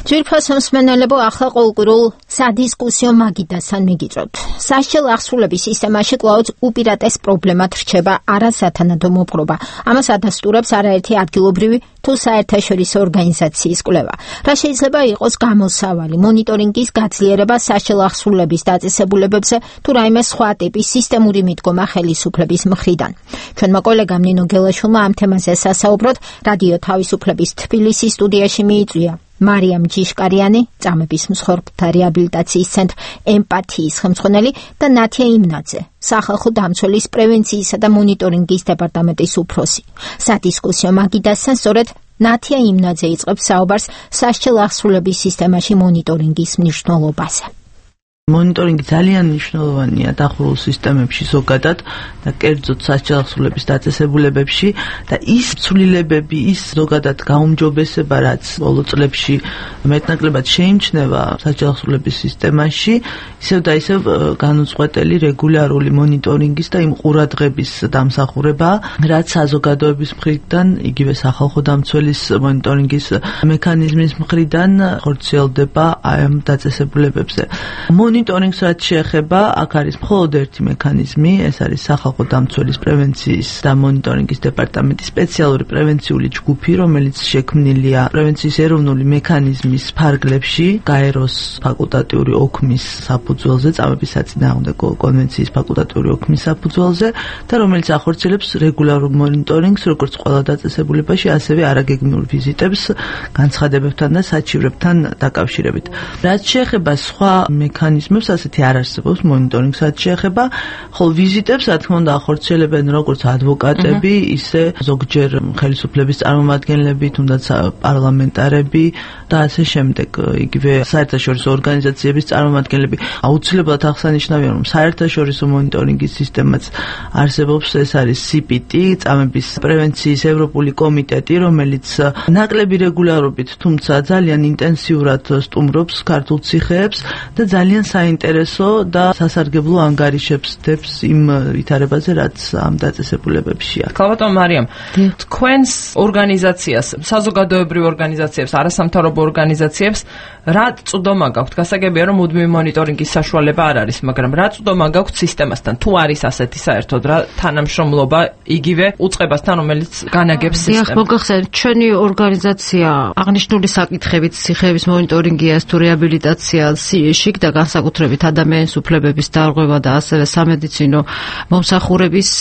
ძვირფასო მსმენელებო, ახლა ყოველკვირულ სადისკუსიო მაგიდასთან მიგიწევთ. სასჯელ აღსრულების სისტემაში კვლავაც უპირატეს პრობლემად რჩება არასათანადო მოპყრობა. ამას ადასტურებს არაერთი ადგილობრივი თუ საერთაშორისო ორგანიზაციის კვლევა. რა შეიძლება იყოს გამოსავალი მონიტორინგის გაძლიერება სასჯელ აღსრულების დაწესებულებებზე თუ რაიმე სხვა ტიპის სისტემური მიდგომა ხელისუფლების მხრიდან. ჩვენმა კოლეგამ ნინო გელაშვილმა ამ თემაზე სასაუბროდ რადიო თავისუფლების თბილისის სტუდიაში მიიწვია მარიამ ჯიშკარიანი, წამების მსხვერპლთა რეაბილიტაციის ცენტრ ემპათიის ხელმძღვანელი და ნათია იმნაძე, სახალხო დამცველის პრევენციისა და მონიტორინგის დეპარტამენტის უფროსი. სადისკუსიო მაგიდასთან სწორედ ნათია იმნაძე იწყებს საუბარს სასჯელ აღსრულების სისტემაში მონიტორინგის მნიშვნელობაზე. მონიტორინგი ძალიან მნიშვნელოვანია დახურულ სისტემებში ზოგადად და კერძოდ სასჯელ აღსრულების დაწესებულებებში და ის ცვლილებები, ის ზოგადად გაუმჯობესება, რაც ბოლო წლებში მეტნაკლებად შეიმჩნევა სასჯელ აღსრულების სისტემაში, ისევ და ისევ განუწყვეტელი რეგულარული მონიტორინგის და იმ ყურადღების დამსახურება, რაც საზოგადოების მხრიდან, იგივე სახალხო დამცველის მონიტორინგის მექანიზმის მხრიდან ხორციელდება ამ დაწესებულებებზე. მონიტორინგს რაც შეეხება, აქ არის მხოლოდ ერთი მექანიზმი, ეს არის სახალხო დამცველის პრევენციის და მონიტორინგის დეპარტამენტის სპეციალური პრევენციული ჯგუფი, რომელიც შექმნილია პრევენციის ეროვნული მექანიზმის ფარგლებში, გაეროს ფაკულტატიური ოქმის საფუძველზე, წამების საწინააღმდეგო კონვენციის ფაკულტატიური ოქმის საფუძველზე და რომელიც ახორციელებს რეგულარულ მონიტორინგს, როგორც ყველა დაწესებულებაში, ასევე არაგეგმიურ ვიზიტებს განცხადებებთან და საჩივრებთან დაკავშირებით. რაც შეეხება სხვა მექანიზმებს, ასეთი არ არსებობს მონიტორინგს, რაც შეეხება, ხოლო ვიზიტებს, რა თქმა უნდა, ახორციელებენ როგორც ადვოკატები, ისე ზოგჯერ ხელისუფლების წარმომადგენლები, თუნდაც პარლამენტარები და ასე შემდეგ. იგივე საერთაშორისო ორგანიზაციების წარმომადგენლები. აუცილებლად აღსანიშნავია, რომ საერთაშორისო მონიტორინგის სისტემაც არსებობს, ეს არის სი პი ტი, წამების პრევენციის ევროპული კომიტეტი, რომელიც ნაკლები რეგულარობით, თუმცა ძალიან ინტენსიურად სტუმრობს ქართულ ციხეებს და ძალიან საინტერესო და სასარგებლო ანგარიშებს დებს იმ ვითარებაზე, რაც ამ დაწესებულებებში აქვს. ქალბატონ მარიამ, თქვენს ორგანიზაციას, საზოგადოებრივ ორგანიზაციებს, არასამთავრობო ორგანიზაციებს რა წვდომა გაქვთ? გასაგებია, რომ მუდმივი მონიტორინგის საშუალება არ არის, მაგრამ რა წვდომა გაქვთ სისტემასთან? თუ არის ასეთი საერთოდ რა თანამშრომლობა იგივე უწყებასთან, რომელიც განაგებს სისტემას? დიახ, მოგახსენეთ, ჩვენი ორგანიზაცია აღნიშნული საკითხებით ციხეების მონიტორინგია, თუ რეაბილიტაცია, სიეშიკ და განსაკუთრებით ადამიანის უფლებების დარღვევა და ასევე სამედიცინო მომსახურების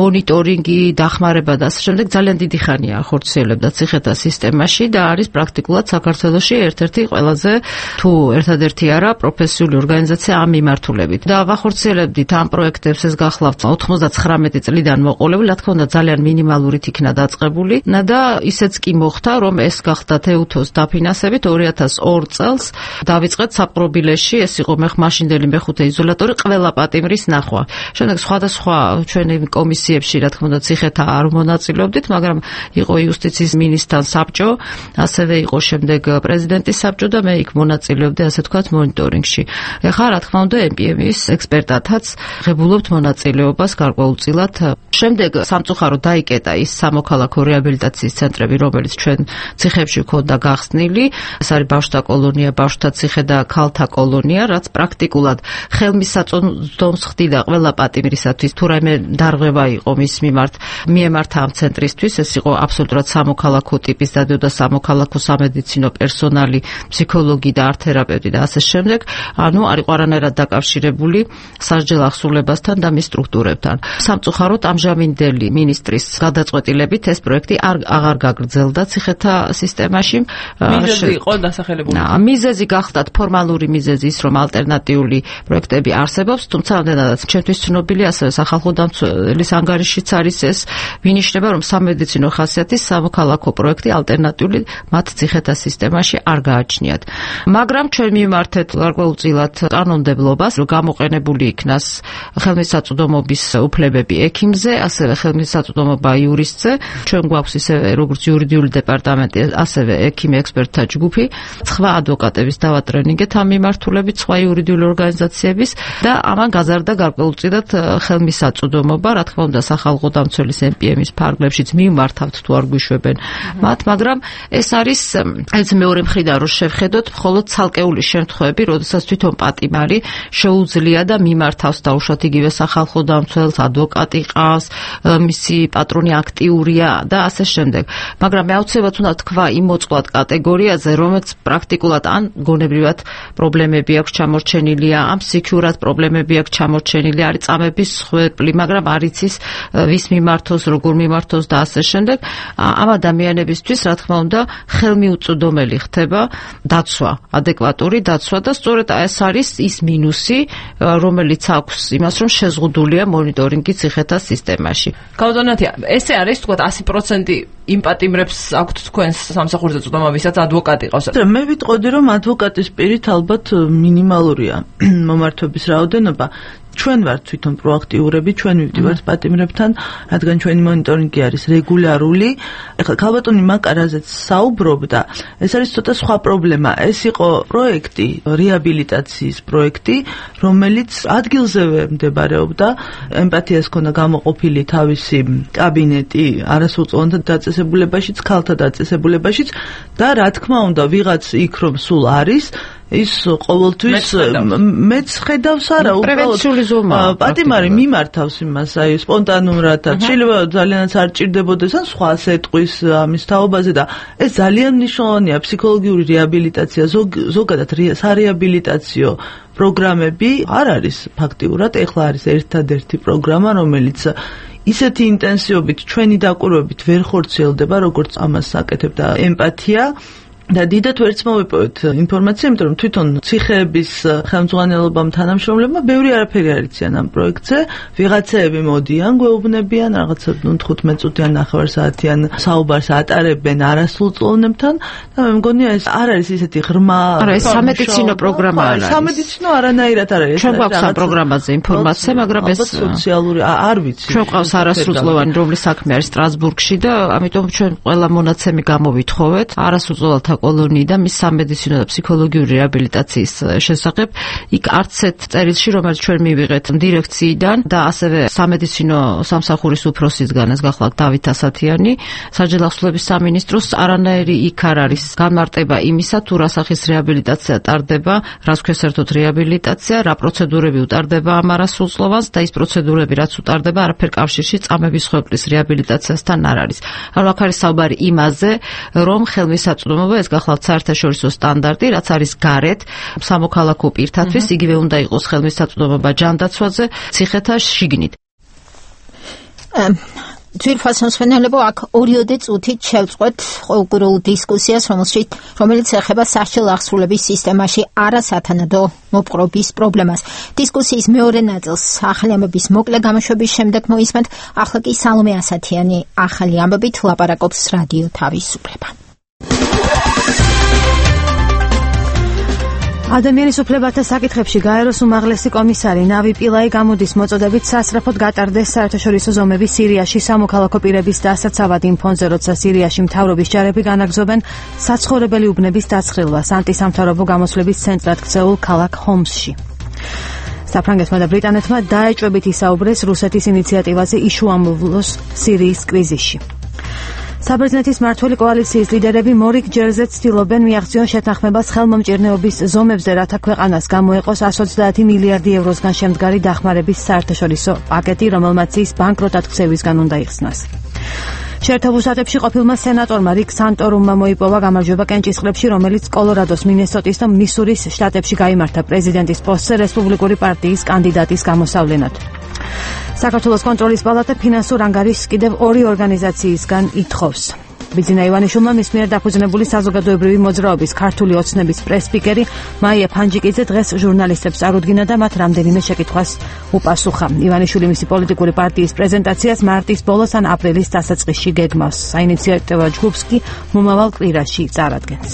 მონიტორინგი, დახმარება და ასე შემდეგ ძალიან დიდი ხანია ახორციელებდა ციხეთა სისტემაში და არის პრაქტიკულად საქართველოში ერთ-ერთი ყველაზე თუ ერთადერთი არა პროფესიული ორგანიზაცია ამ მიმართულებით. და ვახორციელებდით ამ პროექტებს, ეს გახლავთ ოთხმოცდათხრამეტი წლიდან მოყოლებული, რა თქმა უნდა ძალიან მინიმალურით იქნა დაწყებული და ისეც კი მოხდა, რომ ეს გახდა თეუთოს დაფინანსებით ორი ათას ორ წელს დავიწყეთ საპყრობილეში, ეს იყო მაშინდელი მეხუთე იზოლატორი, ყველა პატიმრის ნახვა. შემდეგ სხვადასხვა ჩვენი კომისიებში, რა თქმა უნდა, ციხეთა არ მონაწილეობდით, მაგრამ იყო იუსტიციის მინისტრთან საბჭო, ასევე იყო შემდეგ პრეზიდენტის საბჭო და მე იქ მონაწილეობდი, ასე თქვათ, მონიტორინგში. ეხლა, რა თქმა უნდა, ემ პი ემ-ის ექსპერტათაც ღებულობთ მონაწილეობას გარკვეულწილად. შემდეგ სამწუხაროდ დაიკეტა ის სამოქალაქო რეაბილიტაციის ცენტრები, რომელიც ჩვენ ციხეებში ჰქონდა გახსნილი. ეს არის ბავშვთა კოლონია, ბავშვთა ციხე და ქალთა კოლონია, რაც პრაქტიკულად ხელმისაწვდომს ხდიდა ყველა პატიმრისათვის, თუ რაიმე დარღვევა იყო მის მიმართ, მიემართა ამ ცენტრისთვის, ეს იყო აბსოლუტურად სამოქალაქო ტიპის დადიოდა სამოქალაქო სამედიცინო პერსონალი, ფსიქოლოგი და არტ-თერაპევტი და ასე შემდეგ, ანუ არ იყო არანაირად დაკავშირებული სასჯელ ახსულებასთან და მის სტრუქტურებთან. სამწუხაროდ ამჟამინდელი მინისტრის გადაწყვეტილებით ეს პროექტი არ აღარ გაგრძელდა ციხეთა სისტემაში. მიზეზი იყო დასახელებული. მიზეზი გახდათ ფორმალური მიზეზი ის, რომ ალტერნატიული პროექტები არსებობს, თუმცა ამდენადაც ჩვენთვის ცნობილი, ასევე სახალხო დამცველის ანგარიშიც არის ეს, მინიშნება, რომ სამედიცინო ხასიათის სამოქალაქო პროექტი ალტერნატიული მათ ციხეთა სისტემაში არ გააჩნიათ. მაგრამ ჩვენ მიმართეთ გარკვეულწილად კანონმდებლობას, რომ გამოყენებული იქნას ხელმისაწვდომობის უფლებები ექიმზე, ასევე ხელმისაწვდომობა იურისტზე. ჩვენ გვაქვს ისევე როგორც იურიდიული დეპარტამენტი, ასევე ექიმი ექსპერტთა ჯგუფი, სხვა ადვოკატების დავატრენინგეთ ამ მიმართულებით, სხვა იურიდიული ორგანიზაციების და ამან გაზარდა გარკვეულწილად ხელმისაწვდომობა, რა თქმა უნდა, სახალხო დამცველის ემ პი ემ-ის ფარგლებშიც მიმართავთ თუ არ გვიშვებენ მათ, მაგრამ ეს არის ეს მეორე მხრიდან რომ შევხედოთ, მხოლოდ ცალკეული შემთხვევები, როდესაც თვითონ პატიმარი შეუძლია და მიმართავს დაუშვათ იგივე სახალხო დამცველს, ადვოკატი ყავს, მისი პატრონი აქტიურია და ასე შემდეგ. მაგრამ მე აუცილებლად უნდა თქვა იმ მოწყვლად კატეგორიაზე, რომელიც პრაქტიკულად ან გონებრივად პრობლემები აქვს ჩამორჩენილი, ამ სიქიურად პრობლემები აქვს ჩამორჩენილი, არის წამების ხვეპლი, მაგრამ არ იცის ვის მიმართოს, როგორ მიმართოს და ასე შემდეგ. ამ ადამიანებისთვის, რა თქმა უნდა, ხელმიუწვდომელი ხდება დაცვა, ადეკვატური დაცვა და სწორედ ეს არის ის მინუსი, რომელიც აქვს იმას, რომ შეზღუდულია მონიტორინგი ციხეთა სისტემაში. კაუზონათია, ესე არის თქვა ასი პროცენტი იმ პატიმრებს აქვთ თქვენს სამსახურზე წვდომა, ვისაც ადვოკატი ყავს. მე ვიტყოდი, რომ ადვოკატის პირით ალბათ მინიმალურია მომართვების რაოდენობა. ჩვენ ვართ თვითონ პროაქტიურები, ჩვენ ვივდივართ პატიმრებთან, რადგან ჩვენი მონიტორინგი არის რეგულარული. ეხლა ქალბატონი მაკარაზეც საუბრობდა, ეს არის ცოტა სხვა პრობლემა. ეს იყო პროექტი, რეაბილიტაციის პროექტი, რომელიც ადგილზევე მდებარეობდა, ემპათიას ჰქონდა გამოყოფილი თავისი კაბინეტი არასრულწლოვანთა დაწესებულებაშიც, ქალთა დაწესებულებაშიც და რა თქმა უნდა, ვიღაც იქ რომ სულ არის, ის ყოველთვის მეც ხედავს არა პრევენციული ზომა პატიმარი მიმართავს იმას აი სპონტანურადაც შეიძლება ძალიანაც არ ჭირდებოდეს ან სხვა სეტყვის ამის თაობაზე და ეს ძალიან მნიშვნელოვანია ფსიქოლოგიური რეაბილიტაცია ზოგადად სარეაბილიტაციო პროგრამები არ არის ფაქტიურად ეხლა არის ერთადერთი პროგრამა რომელიც ისეთი ინტენსივობით ჩვენი დაკვირვებით ვერ ხორციელდება როგორც ამას აკეთებდა ემპათია და დიდად ვერც მოვიპოვეთ ინფორმაცია, იმიტომ რომ თვითონ ციხეების ხელმძღვანელობამ თანამშრომლებმა ბევრი არაფერი არ იციან ამ პროექტზე. ვიღაცები მოდიან, გვეუბნებიან, რაღაცა ნუ თხუთმეტ წუთიან ნახევარსაათიან საუბარს ატარებენ არასრულწლოვნებთან და მე მგონია ეს არ არის ისეთი ღრმა არა, ეს სამედიცინო პროგრამა არ არის. სამედიცინო არანაირად არ არის. ჩვენ გვაქვს ამ პროგრამაზე ინფორმაცია, მაგრამ ეს სოციალური არ ვიცი. ჩვენ ყავს არასრულწლოვანი, რომლის საქმე არის სტრასბურგში და ამიტომ ჩვენ ყველა მონაცემი გამოვითხოვეთ არასრულწლოვანთა კოლონიი და მის სამედიცინო და ფსიქოლოგიური რეაბილიტაციის შესახებ. იქ არც ერთ წერილში, რომელიც ჩვენ მივიღეთ დირექციიდან და ასევე სამედიცინო სამსახურის უფროსისგან, ეს გახლავთ დავით ასათიანი, საჯარო ახსოვების სამინისტროს არანაირი იქ არ არის განმარტება იმისა, თუ რა სახის რეაბილიტაცია ტარდება, რას ქვია საერთოდ რეაბილიტაცია, რა პროცედურები უტარდება ამ არასრულწლოვანს და ის პროცედურები რაც უტარდება, არაფერ კავშირში წამების ხვეპლის რეაბილიტაციასთან არ არის. ანუ აქ არის საუბარი იმაზე, რომ ხელმისაწვდომობა ეს გახლავთ საერთაშორისო სტანდარტი, რაც არის გარეთ სამოქალაქო პირთათვის, იგივე უნდა იყოს ხელმისაწვდომობა ჯანდაცვაზე, ციხეთა შიგნით. ძვირფასმსვენელებო, აქ ორიოდე წუთით შევწყვეთ ყოველგვარულ დისკუსიას, რომელშიც რომელიც ეხება სასჯელ აღსრულების სისტემაში არასათანადო მოპყრობის პრობლემას. დისკუსიის მეორე ნაწილს ახალი ამბების მოკლე გამოშვების შემდეგ მოისმენთ, ახლა კი სალომე ასათიანი ახალი ამბებით ლაპარაკობს რადიო თავისუფლება. ადამიანის უფლებათა საკითხებში გაეროს უმაღლესი კომისარი ნავი პილაი გამოდის მოწოდებით სასწრაფოდ გატარდეს საერთაშორისო ზომები სირიაში სამოქალაქო პირების დასაცავად იმ ფონზე, როცა სირიაში მთავრობის ჯარები განაგზობენ საცხოვრებელი უბნების დასხილვას ანტისამთავრობო გამოსვლების ცენტრად ქცეულ ქალაქ ჰომსში. საფრანგეთმა და ბრიტანეთმა დაეჭვებით ისაუბრეს რუსეთის ინიციატივაზე იშუამოვლოს სირიის კრიზისში. საბერძნეთის მმართველი კოალიციის ლიდერები მორიგ ჯერზე ცდილობენ მიაღწიონ შეთანხმებას ხელმომჭირნეობის ზომებზე, რათა ქვეყანას გამოეყოს εκατს ოცდაათი მილიარდი ევროსგან შემდგარი დახმარების საერთაშორისო პაკეტი, რომელმაც ის ბანკროტად ქცევისგან უნდა იხსნას. შეერთებულ შტატებში ყოფილმა სენატორმა რიკ სანტორუმმა მოიპოვა გამარჯვება კენჭისყრებში, რომელიც კოლორადოს, მინესოტის და მისურის შტატებში გაიმართა პრეზიდენტის პოსტზე რესპუბლიკური პარტიის კანდიდატის გამოსავლენად. საქართველოს კონტროლის პალატა ფინანსურ ანგარიშს კიდევ ორი ორგანიზაციისგან ითხოვს. ბიძინა ივანიშვილმა მის მიერ დაფუძნებული საზოგადოებრივი მოძრაობის ქართული ოცნების პრეს-სპიკერი მაია ფანჯიკიძე დღეს ჟურნალისტებს წარუდგინა და მათ რამდენიმე შეკითხვას უპასუხა. ივანიშვილი მისი პოლიტიკური პარტიის პრეზენტაციას მარტის ბოლოს ან აპრილის დასაწყისში გეგმავს. საინიციატივო ჯგუფს კი მომავალ კვირაში წარადგენს.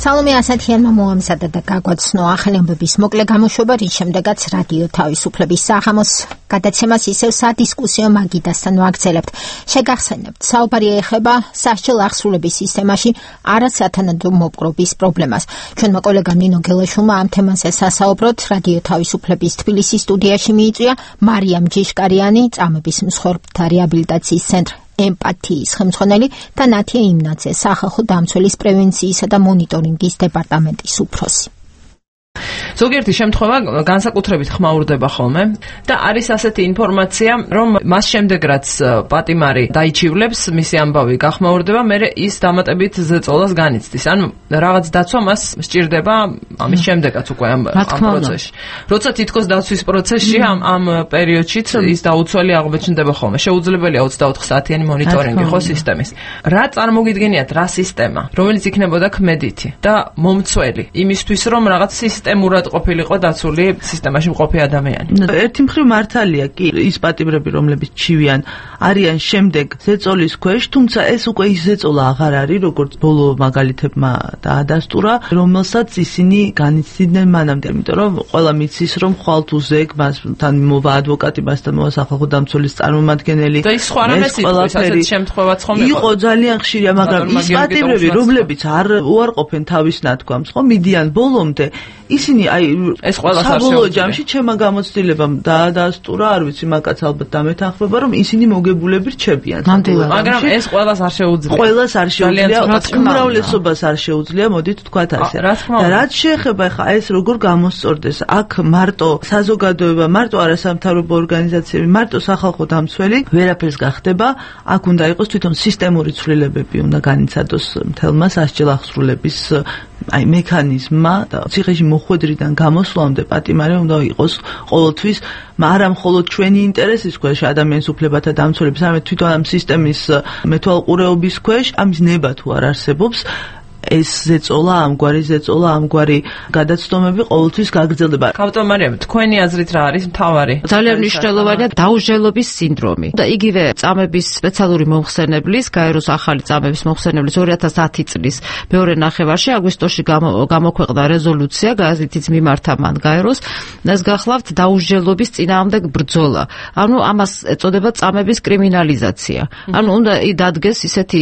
სალომე ასათიანმა მოამზადა და გაგვაცნო ახალი ამბების მოკლე გამოშვება, რის შემდეგაც რადიო თავისუფლების საღამოს გადაცემას ისევ სადისკუსიო მაგიდასთან ვაგრძელებთ. შეგახსენებთ, საუბარი ეხება სასჯელ აღსრულების სისტემაში არასათანადო მოპყრობის პრობლემას. ჩვენმა კოლეგამ ნინო გელაშვილმა ამ თემაზე სასაუბროდ რადიო თავისუფლების თბილისის სტუდიაში მიიწვია მარიამ ჯიშკარიანი, წამების მსხვერპლთა რეაბილიტაციის ცენტრ ემპათიის ხელმძღვანელი და ნათია იმნაძე, სახალხო დამცველის პრევენციისა და მონიტორინგის დეპარტამენტის უფროსი. ზოგიერთი შემთხვევა განსაკუთრებით ხმაურდება ხოლმე და არის ასეთი ინფორმაცია, რომ მას შემდეგ რაც პატიმარი დაიჩივლებს, მისი ამბავი გახმაურდება, მერე ის დამატებით ზეწოლას განიცდის. ანუ რაღაც დაცვა მას სჭირდება ამის შემდეგაც უკვე ამ პროცესში. როცა თითქოს დაცვის პროცესში ამ ამ პერიოდშიც ის დაუცველი აღმოჩნდება ხოლმე. შეუძლებელია ოცდაოთხ საათიანი მონიტორინგი ხო სისტემის. რა წარმოგიდგენიათ რა სისტემა, რომელიც იქნებოდა ქმედითი და მომცველი იმისთვის, რომ რაღაც სისტემურად ყოფილიყო დაცული სისტემაში მყოფი ადამიანი. ერთი მხრივ მართალია კი ის პატიმრები, რომლებიც ჩივიან, არიან შემდეგ ზეწოლის ქვეშ, თუმცა ეს უკვე ის ზეწოლა აღარ არის, როგორც ბოლო მაგალითებმა დაადასტურა, რომელსაც ისინი განიცდიდნენ მანამდე, იმიტომ რომ ყველა მიცის, რომ ხვალთ უზეგ, მასთან მოვა ადვოკატი, მასთან მოვა სახალხო დამცველის წარმომადგენელი. და ის სხვა რამეს იტყვის, ასეთ შემთხვევაც ხომ იყო? იყო ძალიან ხშირია, მაგრამ ის პატიმრები, რომლებიც არ უარყოფენ თავის ნათქვამს, ხო, მიდიან ბოლომდე, ისინი აი ეს ყველას არ საბოლოო ჯამში ჩემმა გამოცდილებამ დაადასტურა, არ ვიცი, მაგაც ალბათ დამეთანხმება, რომ ისინი მოგებულები რჩებიან. მაგრამ ეს ყველას არ შეუძლია. ყველას არ შეუძლია, უმრავლესობას არ შეუძლია, მოდით თქვათ ასე. და რაც შეეხება ხა ეს როგორ გამოსწორდეს, აქ მარტო საზოგადოება, მარტო არასამთავრობო ორგანიზაციები, მარტო სახალხო დამცველი ვერაფერს გახდება, აქ უნდა იყოს თვითონ სისტემური ცვლილებები, უნდა განიცადოს მთელმა სასჯელ აღსრულების აი მექანიზმმა და ციხეში მოხვედრიდან გამოსვლამდე პატიმარი უნდა იყოს ყოველთვის, არა მხოლოდ ჩვენი ინტერესის ქვეშ ადამიანის უფლებათა დამცველების, არამედ თვითონ ამ სისტემის მეთვალყურეობის ქვეშ, ამის ნება თუ არ არსებობს, ეს ზეწოლა, ამგვარი ზეწოლა, ამგვარი გადაცდომები ყოველთვის გაგრძელდება. კაპიტან მარიამ, თქვენი აზრით რა არის მთავარი? ძალიან მნიშვნელოვანია დაუჟელობის სინდრომი. და იგივე წამების სპეციალური მომხსენებლის, გაეროს ახალი წამების მომხსენებლის ორი ათას ათი წლის მეორე ნახევარში აგვისტოში გამოქვეყნდა რეზოლუცია, გაზეთით მიმართა მან გაეროს, ეს გახლავთ დაუჟელობის წინააღმდეგ ბრძოლა. ანუ ამას ეწოდება წამების კრიმინალიზაცია. ანუ უნდა დადგეს ისეთი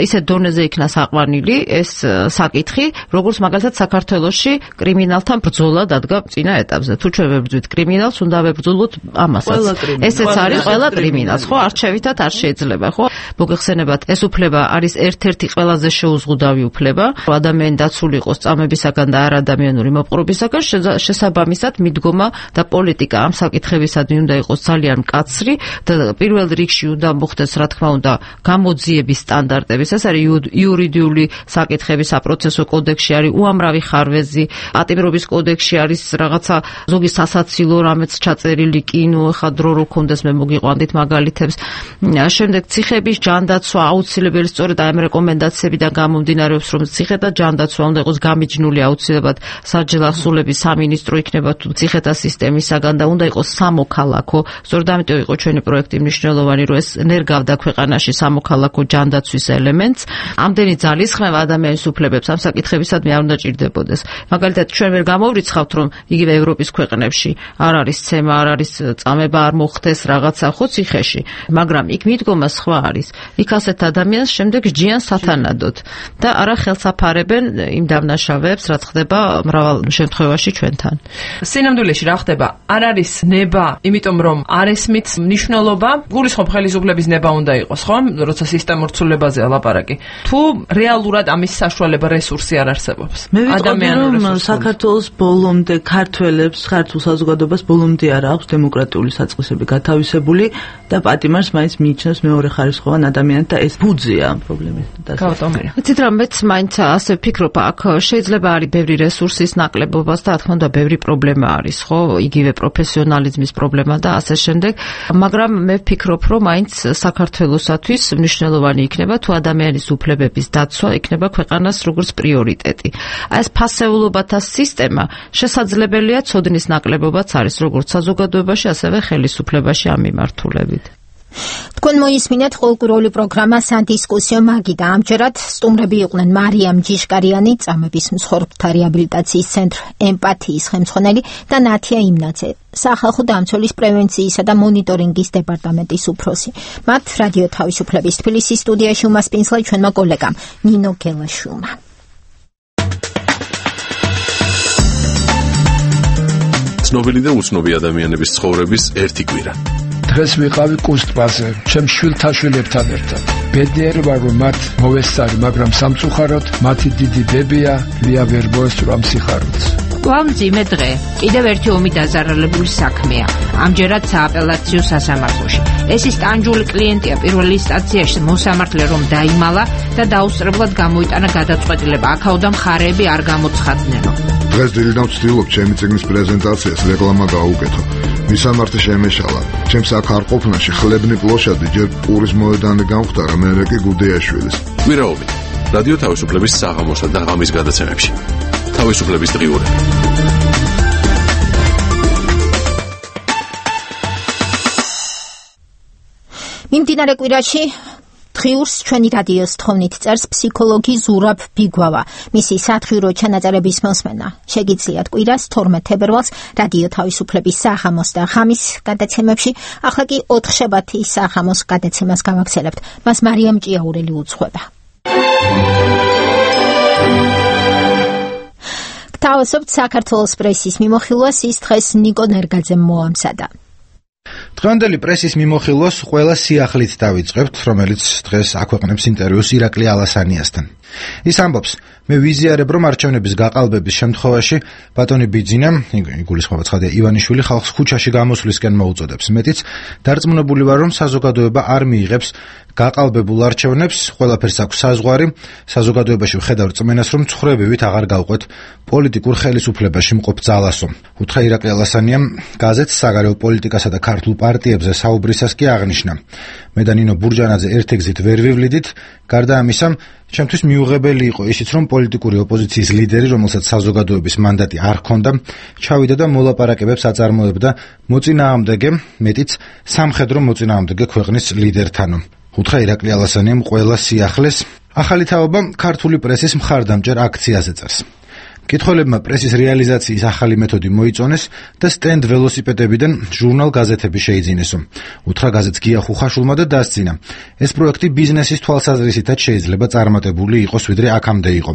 ისეთ დონეზე იქნა საყვანილი ეს საკითხი, როგორც მაგალითად საქართველოში კრიმინალთან ბრძოლა დადგა წინა ეტაპზე. თუ ჩვენ ვებრძვით კრიმინალს, უნდა ვებრძოლოთ ამასაც. ესეც არის ყველა კრიმინალს, ხო? არჩევითად არ შეიძლება, ხო? მოგეხსენებათ, ეს უფლება არის ერთ-ერთი ყველაზე შეუზღუდავი უფლება, რომ ადამიანი დაცული იყოს წამებისაგან და არადამიანური მოპყრობისაგან, შესაბამისად მიდგომა და პოლიტიკა ამ საკითხებისადმი უნდა იყოს ძალიან მკაცრი და პირველ რიგში უნდა მოხდეს, რა თქმა უნდა, გამოძიების სტანდარტების. ეს არის იურიდიული საკითხი საპროცესო კოდექსში არის უამრავი ხარვეზი, პატიმრობის კოდექსში არის რაღაცა ზოგი სასაცილო რამეც ჩაწერილი კი, ნუ ხა დრო რო კონდეს მე მოგიყვანდით მაგალითებს. შემდეგ ციხების ჯანდაცვა აუცილებელი, სწორედ ამ რეკომენდაციებიდან გამომდინარეობს, რომ ციხეთა ჯანდაცვა უნდა იყოს გამიჯნული აუცილებლად სასჯელ აღსრულების სამინისტრო იქნება თუ ციხეთა სისტემისაგან და უნდა იყოს სამოქალაქო. სწორედ ამიტომ იყო ჩვენი პროექტი მნიშვნელოვანი, რომ ეს ნერგავდა ქვეყანაში სამოქალაქო ჯანდაცვის ელემენტს. ამდენი ძალისხმევა ადამიანის უფლებებს ამ საკითხებისადმი არ უნდა ჭირდებოდეს. მაგალითად, ჩვენ ვერ გამოვრიცხავთ, რომ იგივე ევროპის ქვეყნებში არ არის ცემა, არ არის წამება, არ მოხდეს რაღაცა ხო ციხეში, მაგრამ იქ მიდგომა სხვა არის. იქ ასეთ ადამიანს შემდეგ ჯიან სათანადოდ და არა ხელსაფარებენ იმ დამნაშავეებს, რაც ხდება მრავალ შემთხვევაში ჩვენთან. სინამდვილეში რა ხდება? არ არის ნება, იმიტომ რომ არ ესმით მნიშვნელობა, გულისხმობ ხელისუფლების ნება უნდა იყოს, ხო? როცა სისტემურ ცვლილებაზე ლაპარაკი. თუ რეალურად ამის საშუალება რესურსი არ არსებობს. მე ვიტყოდი, რომ საქართველოს ბოლომდე ქართველებს, ქართულ საზოგადოებას ბოლომდე არ აქვს დემოკრატიული საწყისები გათავისებული და პატიმარს მაინც მიიჩნევს მეორე ხარისხოვან ადამიანად და ეს ბუძია ამ პრობლემის დასაწყისში. ვიცით რა, მეც მაინც ასე ვფიქრობ, აქ შეიძლება არის ბევრი რესურსის ნაკლებობას და რა თქმა უნდა ბევრი პრობლემა არის, ხო? იგივე პროფესიონალიზმის პრობლემა და ასე შემდეგ, მაგრამ მე ვფიქრობ, რომ მაინც საქართველოსათვის მნიშვნელოვანი იქნება თუ ადამიანის უფლებების დაცვა იქნება ქვეყანას როგორც პრიორიტეტი. აი ეს ფასეულობათა სისტემა შესაძლებელია ცოდნის ნაკლებობაც არის როგორც საზოგადოებაში, ასევე ხელისუფლებაში ამ მიმართულებით. თქვენ მოისმინეთ ყოლკურული პროგრამა სადისკუსიო მაგი და ამჯერად სტუმრები იყვნენ მარიამ ჯიშკარიანი, წამების მსხვერპლთა რეაბილიტაციის ცენტრ ემპათიის ხელმძღვანელი და ნათია იმნაძე, სახალხო დამცველის პრევენციისა და მონიტორინგის დეპარტამენტის უფროსი. მათ რადიო თავისუფლების თბილისის სტუდიაში უმასპინძლა ჩვენმა კოლეგამ ნინო გელაშვილმა. ცნობილი და უცნობი ადამიანების ცხოვრების ერთი კვირა. დღეს ვიყავი კუსტბაზე, ჩემ შვილთაშვილებთან ერთად. ბედნიერი ვარ, რომ მათ მოვესწარი, მაგრამ სამწუხაროდ მათი დიდი ბებია ლია ვერ მოესწრო ამ სიხარულს. კვლავ მძიმე დღე. კიდევ ერთი ომი დაზარალებული საქმეა. ამჯერად სააპელაციო სასამართლოში. ეს ის ტანჯული კლიენტია პირველ ინსტანციაში მოსამართლე რომ დაიმალა და დაუსწრებლად გამოიტანა გადაწყვეტილება. აქაოდან მხარეები არ გამოცხადნენო. დღეს დილიდან ვცდილობ ჩემი წიგნის პრეზენტაციას რეკლამა გაუკეთო. მისამართი შემეშალა. ჩემს აქ არ ყოფნაში ხლებნი პლოშადი ჯერ პურის მოედანი გამختარა, მერე კი გუდეაშვილის. კვირაობით რადიო თავისუფლების საღამოსა და ღამის გადაცემებში. თავისუფლების დღიურები. მიმდინარე კვირაში დღიურს ჩვენი რადიოს თხოვნით წერს ფსიქოლოგი ზურაბ ბიგვავა. მისი სათხიურო ჩანაწერების მოსმენა შეგიძლიათ კვირას თორმეტ თებერვალს რადიო თავისუფლების საღამოს და ღამის გადაცემებში. ახლა კი ოთხშაბათი საღამოს გადაცემას გავაგრძელებთ. მას მარიამ ჭიაურელი უძღვება. გთავაზობთ საქართველოს პრესის მიმოხილვას, ის დღეს ნიკო ნერგაძემ მოამზადა. დღევანდელი პრესის მიმოხილვას ყველა სიახლით დავიწყებთ, რომელიც დღეს აქვეყნებს ინტერვიუს ირაკლი ალასანიასთან. ის ამბობს, მე ვიზიარებ, რომ არჩევნების გაყალბების შემთხვევაში ბატონი ბიძინა, იგულისხმება ცხადია ივანიშვილი, ხალხს ქუჩაში გამოსვლისკენ მოუწოდებს. მეტიც დარწმუნებული ვარ, რომ საზოგადოება არ მიიღებს გაყალბებულ არჩევნებს, ყველაფერს აქვს საზღვარი. საზოგადოებაში ვხედავ რწმენას, რომ ცხრებივით აღარ გავყვეთ პოლიტიკურ ხელისუფლებაში მყოფ ძალასო. უთხრა ირაკლი ალასანიამ გაზეთს საგარეო პოლიტიკასა და ქართულ პარტიებზე საუბრისას კი აღნიშნა. მე და ნინო ბურჯანაძე ერთ-ეგზით ვერ ვივლიდით, გარდა ამისა, ჩემთვის მიუღებელი იყო ისიც, რომ პოლიტიკური ოპოზიციის ლიდერი, რომელსაც საზოგადოების მანდატი არ ჰქონდა, ჩავიდა და მოლაპარაკებებს აწარმოებდა მოწინააღმდეგე, მეტიც სამხედრო მოწინააღმდეგე ქვეყნის ლიდერთანო. უთხრა ირაკლი ალასანიამ ყველა სიახლეს. ახალი თაობა ქართული პრესის მხარდამჭერ აქციაზე წერს. მკითხველებმა პრესის რეალიზაციის ახალი მეთოდი მოიწონეს და სტენდ ველოსიპედებიდან ჟურნალ გაზეთები შეიძინესო. უთხრა გაზეთს გია ხუხაშულმა და დასძინა. ეს პროექტი ბიზნესის თვალსაზრისითაც შეიძლება წარმატებული იყოს, ვიდრე აქამდე იყო.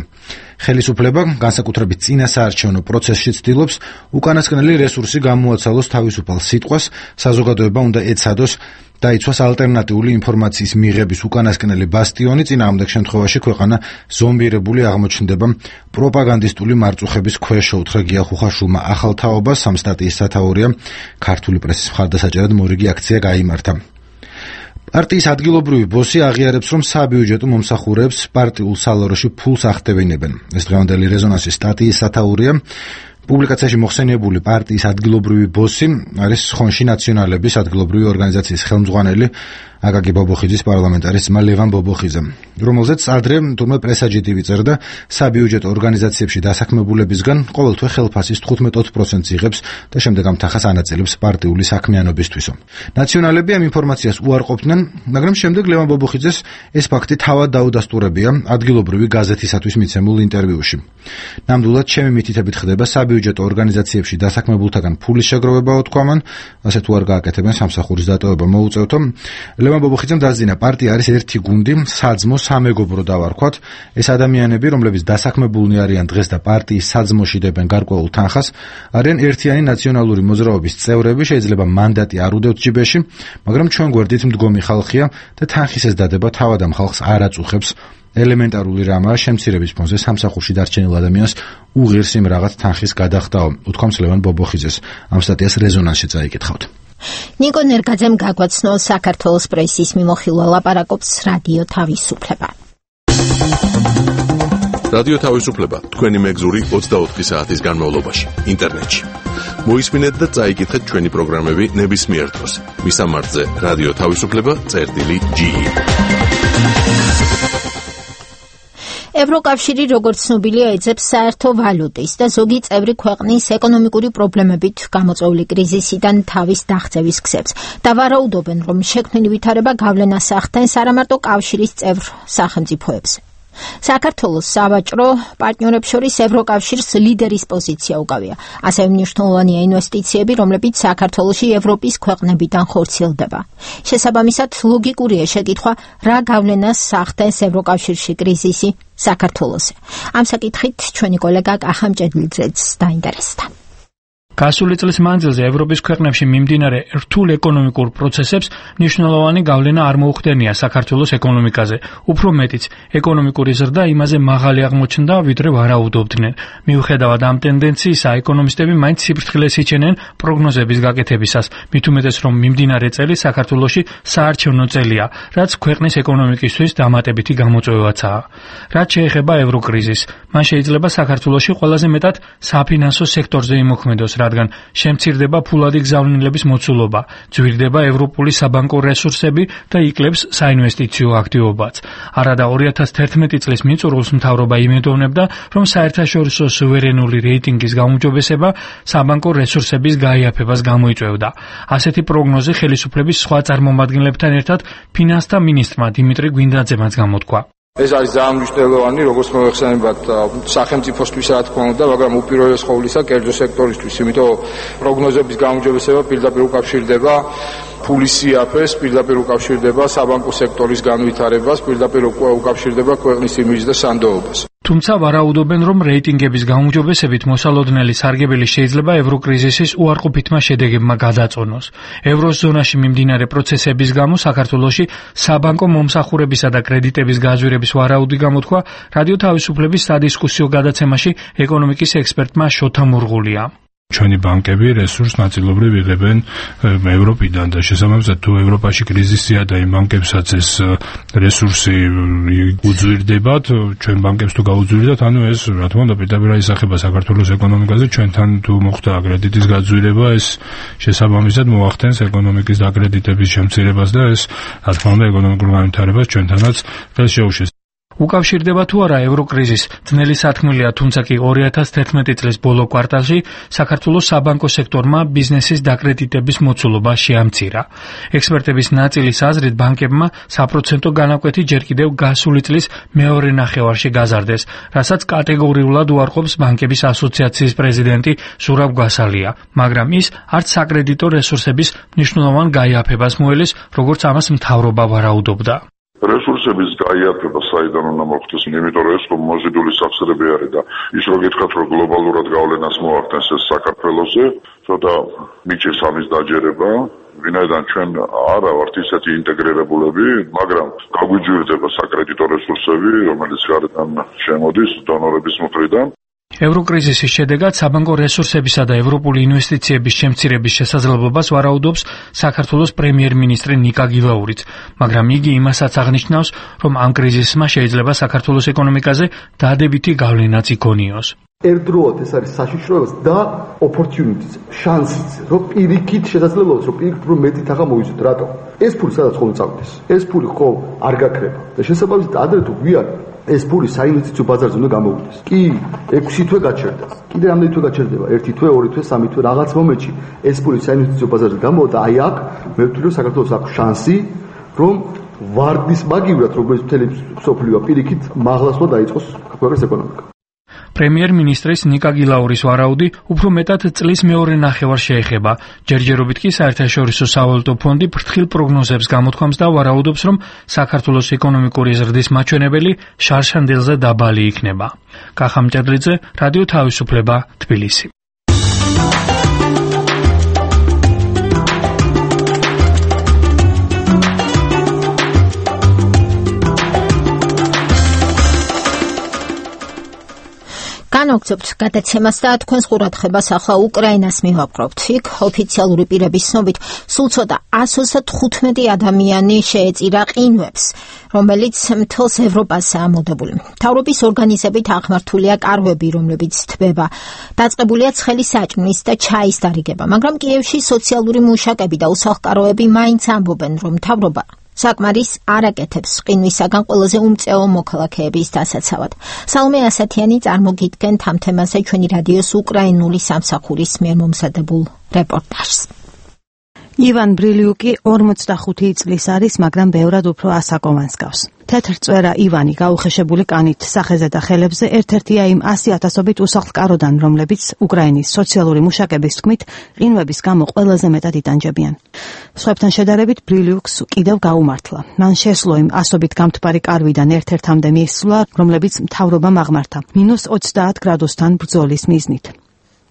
ხელისუფლება განსაკუთრებით წინასაარჩევნო პროცესში ცდილობს უკანასკნელი რესურსი გამოაცალოს თავისუფალ სიტყვას, საზოგადოება უნდა ეცადოს დაიცვას ალტერნატიული ინფორმაციის მიღების უკანასკნელი ბასტიონი, წინააღმდეგ შემთხვევაში ქვეყანა ზომბირებული აღმოჩნდება პროპაგანდისტული მარწუხების ქვეშ. უთხრა გია ხუხაშულმა ახალ თაობას, ამ სტატიის სათაურია ქართული პრესის მხარდასაჭერად მორიგი აქცია გაიმართა. პარტიის ადგილობრივი ბოსი აღიარებს, რომ საბიუჯეტო მომსახურეებს პარტიულ სალაროში ფულს ახდევინებენ. ეს დღევანდელი რეზონანსის სტატიის სათაურია. პუბლიკაციაში მოხსენიებული პარტიის ადგილობრივი ბოსი არის ხონში ნაციონალების ადგილობრივი ორგანიზაციის ხელმძღვანელი აკაკი ბობოხიძის პარლამენტარის ძმა ლევან ბობოხიძე, რომელზეც ადრე თურმე პრესაჯიდი ვიწერდა, საბიუჯეტო ორგანიზაციებში დასაქმებულებისგან ყოველთვე ხელფასის თხუთმეტ პროცენტს იღებს და შემდეგ ამ თანხას ანაწილებს პარტიული საქმიანობისთვისო. ნაციონალები ამ ინფორმაციას უარყოფდნენ, მაგრამ შემდეგ ლევან ბობოხიძეს ეს ფაქტი თავად დაუდასტურებია ადგილობრივი გაზეთისათვის მიცემულ ინტერვიუში. ნამდვილად ჩემი მითითებით ხდება საბიუჯეტო ორგანიზაციებში დასაქმებულთაგან ფულის შეგროვებაო თქვამან, ასე თუ არ გააკეთებენ სამსახურის დატოვება მოუწევთო. ლევან ბობოხიძემ დასძინა, პარტია არის ერთი გუნდი, საძმო სამეგობრო დავარქვათ. ეს ადამიანები, რომლებიც დასაქმებულნი არიან დღეს და პარტიის საძმოში დებენ გარკვეულ თანხას, არიან ერთიანი ნაციონალური მოძრაობის წევრები, შეიძლება მანდატი არ უდევთ ჯიბეში, მაგრამ ჩვენ გვერდით მდგომი ხალხია და თანხის ეს დადება თავად ამ ხალხს არ აწუხებს. ელემენტარული რამაა შემცირების ფონზე სამსახურში დარჩენილ ადამიანს უღირს იმ რაღაც თანხის გადახდაო, უთქვამს ლევან ბობოხიძეს. ამ სტატიას რეზონანსში წაიკითხავთ. ნიკო ნერგაძემ გაგვაცნო საქართველოს პრესის მიმოხილვა, ლაპარაკობს რადიო თავისუფლება. რადიო თავისუფლება თქვენი მეგზური ოცდაოთხი საათის განმავლობაში ინტერნეტში. მოისმინეთ და წაიკითხეთ ჩვენი პროგრამები ნებისმიერ დროს. მისამართზე რადიო თავისუფლება წერტილი ჯი. ევროკავშირი როგორც ცნობილია ეძებს საერთო ვალუტის და ზოგი წევრი ქვეყნის ეკონომიკური პრობლემებით გამოწვეული კრიზისიდან თავის დაღწევის გზებს და ვარაუდობენ, რომ შექმნილი ვითარება გავლენას ახდენს არა მარტო კავშირის წევრ სახელმწიფოებზე. საქართველოს სავაჭრო პარტნიორებს შორის ევროკავშირს ლიდერის პოზიცია უკავია. ასევე მნიშვნელოვანია ინვესტიციები, რომლებიც საქართველოში ევროპის ქვეყნებიდან ხორციელდება. შესაბამისად, ლოგიკურია შეკითხვა, რა გავლენას ახდენს ევროკავშირში კრიზისი საქართველოზე. ამ საკითხით ჩვენი კოლეგა კახა მჭედლიძეც დაინტერესდა. გასული წლის მანძილზე ევროპის ქვეყნებში მიმდინარე რთულ ეკონომიკურ პროცესებს მნიშვნელოვანი გავლენა არ მოუხდენია საქართველოს ეკონომიკაზე. უფრო მეტიც, ეკონომიკური ზრდა იმაზე მაღალი აღმოჩნდა, ვიდრე ვარაუდობდნენ. მიუხედავად ამ ტენდენციისა, ეკონომისტები მაინც სიფრთხილეს იჩენენ პროგნოზების გაკეთებისას, მით უმეტეს, რომ მიმდინარე წელი საქართველოში საარჩევნო წელია, რაც ქვეყნის ეკონომიკისთვის დამატებითი გამოწვევაცაა. რაც შეეხება ევროკრიზისს, მან შეიძლება საქართველოში ყველაზე მეტად საფინანსო სექტორზე იმოქმედოს, რადგან შემცირდება ფულადი გზავნილების მოცულობა, ძვირდება ევროპული საბანკო რესურსები და იკლებს საინვესტიციო აქტივობაც. არადა ორი ათას თერთმეტი წლის მიწურულს მთავრობა იმედოვნებდა, რომ საერთაშორისო სუვერენული რეიტინგის გაუმჯობესება საბანკო რესურსების გაიაფებას გამოიწვევდა. ასეთი პროგნოზი ხელისუფლების სხვა წარმომადგენლებთან ერთად ფინანსთა მინისტრმა დიმიტრი გვინდაძემაც გამოთქვა. ეს არის ძალიან მნიშვნელოვანი, როგორც მოიხსენებათ სახელმწიფოსთვის რა თქმა უნდა, მაგრამ უპირველეს ყოვლისა კერძო სექტორისთვის, იმიტომ პროგნოზების გაუმჯობესება პირდაპირ უკავშირდება ფულის სიაფეს, პირდაპირ უკავშირდება საბანკო სექტორის განვითარებას, პირდაპირ უკავშირდება ქვეყნის იმიჯს და სანდოობას. თუმცა ვარაუდობენ, რომ რეიტინგების გაუმჯობესებით მოსალოდნელი სარგებელი შეიძლება ევროკრიზისის უარყოფითმა შედეგებმა გადაწონოს. ევროზონაში მიმდინარე პროცესების გამო საქართველოში საბანკო მომსახურებისა და კრედიტების გაძვირების ვარაუდი გამოთქვა რადიო თავისუფლების სადისკუსიო გადაცემაში ეკონომიკის ექსპერტმა შოთა მურღულია. ჩვენი ბანკები რესურს ნაწილობრივ იღებენ ევროპიდან და შესაბამისად თუ ევროპაში კრიზისია და იმ ბანკებსაც ეს რესურსი უძვირდებათ, ჩვენ ბანკებს თუ გაუძვირდათ, ანუ ეს რა თქმა უნდა პირდაპირ ისახება საქართველოს ეკონომიკაზე, ჩვენთან თუ მოხდა კრედიტის გაძვირება, ეს შესაბამისად მოახდენს ეკონომიკის დაკრედიტების შემცირებას და ეს რა თქმა უნდა ეკონომიკურ განვითარებას ჩვენთანაც ხელს შეუშლის. უკავშირდება თუ არა ევროკრიზის ძნელი სათქმელია, თუმცა კი ორი ათას თერთმეტი წლის ბოლო კვარტალში საქართველოს საბანკო სექტორმა ბიზნესის დაკრედიტების მოცულობა შეამცირა. ექსპერტების ნაწილის აზრით ბანკებმა საპროცენტო განაკვეთი ჯერ კიდევ გასული წლის მეორე ნახევარში გაზარდეს, რასაც კატეგორიულად უარყოფს ბანკების ასოციაციის პრეზიდენტი ზურაბ გვასალია, მაგრამ ის არც საკრედიტო რესურსების მნიშვნელოვან გაიაფებას მოელის, როგორც ამას მთავრობა ვარაუდობდა. რესურსების გაიაფება საიდან უნდა მოხდეს, იმიტომ რომ ეს მოზიდული სახსრები არის და ის რო გითხრათ რომ გლობალურად გავლენას მოახდენს ეს საქართველოზე, ცოტა მიჭირს ამის დაჯერება, ვინაიდან ჩვენ არა ვართ ისეთი ინტეგრირებულები, მაგრამ გაგვიჯვირდება საკრედიტო რესურსები, რომელიც გარედან შემოდის დონორების მხრიდან. ევროკრიზისის შედეგად საბანკო რესურსებისა და ევროპული ინვესტიციების შემცირების შესაძლებლობას ვარაუდობს საქართველოს პრემიერ-მინისტრი ნიკა გილაურიც, მაგრამ იგი იმასაც აღნიშნავს, რომ ამ კრიზისმა შეიძლება საქართველოს ეკონომიკაზე დადებითი გავლენაც იქონიოს. ერთდროულად ეს არის საშიშროებას და opportunities, შანსიც, რომ პირიქით შესაძლებლობებს, რომ პირიქით რომ მეტი თაღა მოვიზოთ, რატო? ეს ფული სადაც ხოლმე წავიდეს. ეს ფული ხო არ გაქრება და შესაბამისად ადრე თუ გვიან ეს ფული საინვესტიციო ბაზარზე უნდა გამოვიდეს. კი, ექვსი თვე გაჩერდა. კიდე რამდენი თვე გაჩერდება? ერთი თვე, ორი თვე, სამი თვე, რაღაც მომენტში ეს ფული საინვესტიციო ბაზარზე გამოვიდა. აი აქ მე ვთვლი რომ საქართველოს აქვს შანსი, რომ ვარდის მაგივრად, როგორც მთელი სოფლიო პირიქით მაღლასვლა დაიწყოს ქვეყნის ეკონომიკა. პრემიერ-მინისტრის ნიკა გილაურის ვარაუდი უფრო მეტად წლის მეორე ნახევარს შეეხება. ჯერჯერობით კი საერთაშორისო სავალუტო ფონდი ფრთხილ პროგნოზებს გამოთქვამს და ვარაუდობს, რომ საქართველოს ეკონომიკური ზრდის მაჩვენებელი შარშანდელზე დაბალი იქნება. კახა მჭედლიძე, რადიო თავისუფლება, თბილისი. განაგრძობთ გადაცემას და თქვენს ყურადღებას ახლა უკრაინას მივაპყრობთ. იქ ოფიციალური პირების ცნობით სულ ცოტა ასოცდა თხუთმეტი ადამიანი შეეწირა ყინვებს, რომელიც მთელს ევროპასაა მოდებული. მთავრობის ორგანიზებით აღმართულია კარვები, რომლებიც თბება. დაწყებულია ცხელი საჭმლის და ჩაის დარიგება, მაგრამ კიევში სოციალური მუშაკები და უსახლკაროები მაინც ამბობენ, რომ მთავრობა საკმარის არ აკეთებს ყინვისაგან ყველაზე უმწეო მოქალაქეების დასაცავად. სალომე ასათიანი წარმოგიდგენთ ამ თემაზე ჩვენი რადიოს უკრაინული სამსახურის მიერ მომზადებულ რეპორტაჟს. ივან ბრილიუკი ორმოცდახუთი წლის არის, მაგრამ ბევრად უფრო ასაკოვანს გავს. თეთრ წვერა ივანი გაუხეშებული კანით სახეზე და ხელებზე ერთ-ერთია იმ ასი ათასობით უსახლკაროდან, რომლებიც უკრაინის სოციალური მუშაკების თქმით ყინვების გამო ყველაზე მეტად იტანჯებიან. სხვებთან შედარებით ბრილიუკს კიდევ გაუმართლა. მან შესძლო იმ ასობით გამთბარი კარვიდან ერთ-ერთამდე მისვლა, რომლებიც მთავრობამ აღმართა მინუს ოცდაათ გრადუსთან ბრძოლის მიზნით.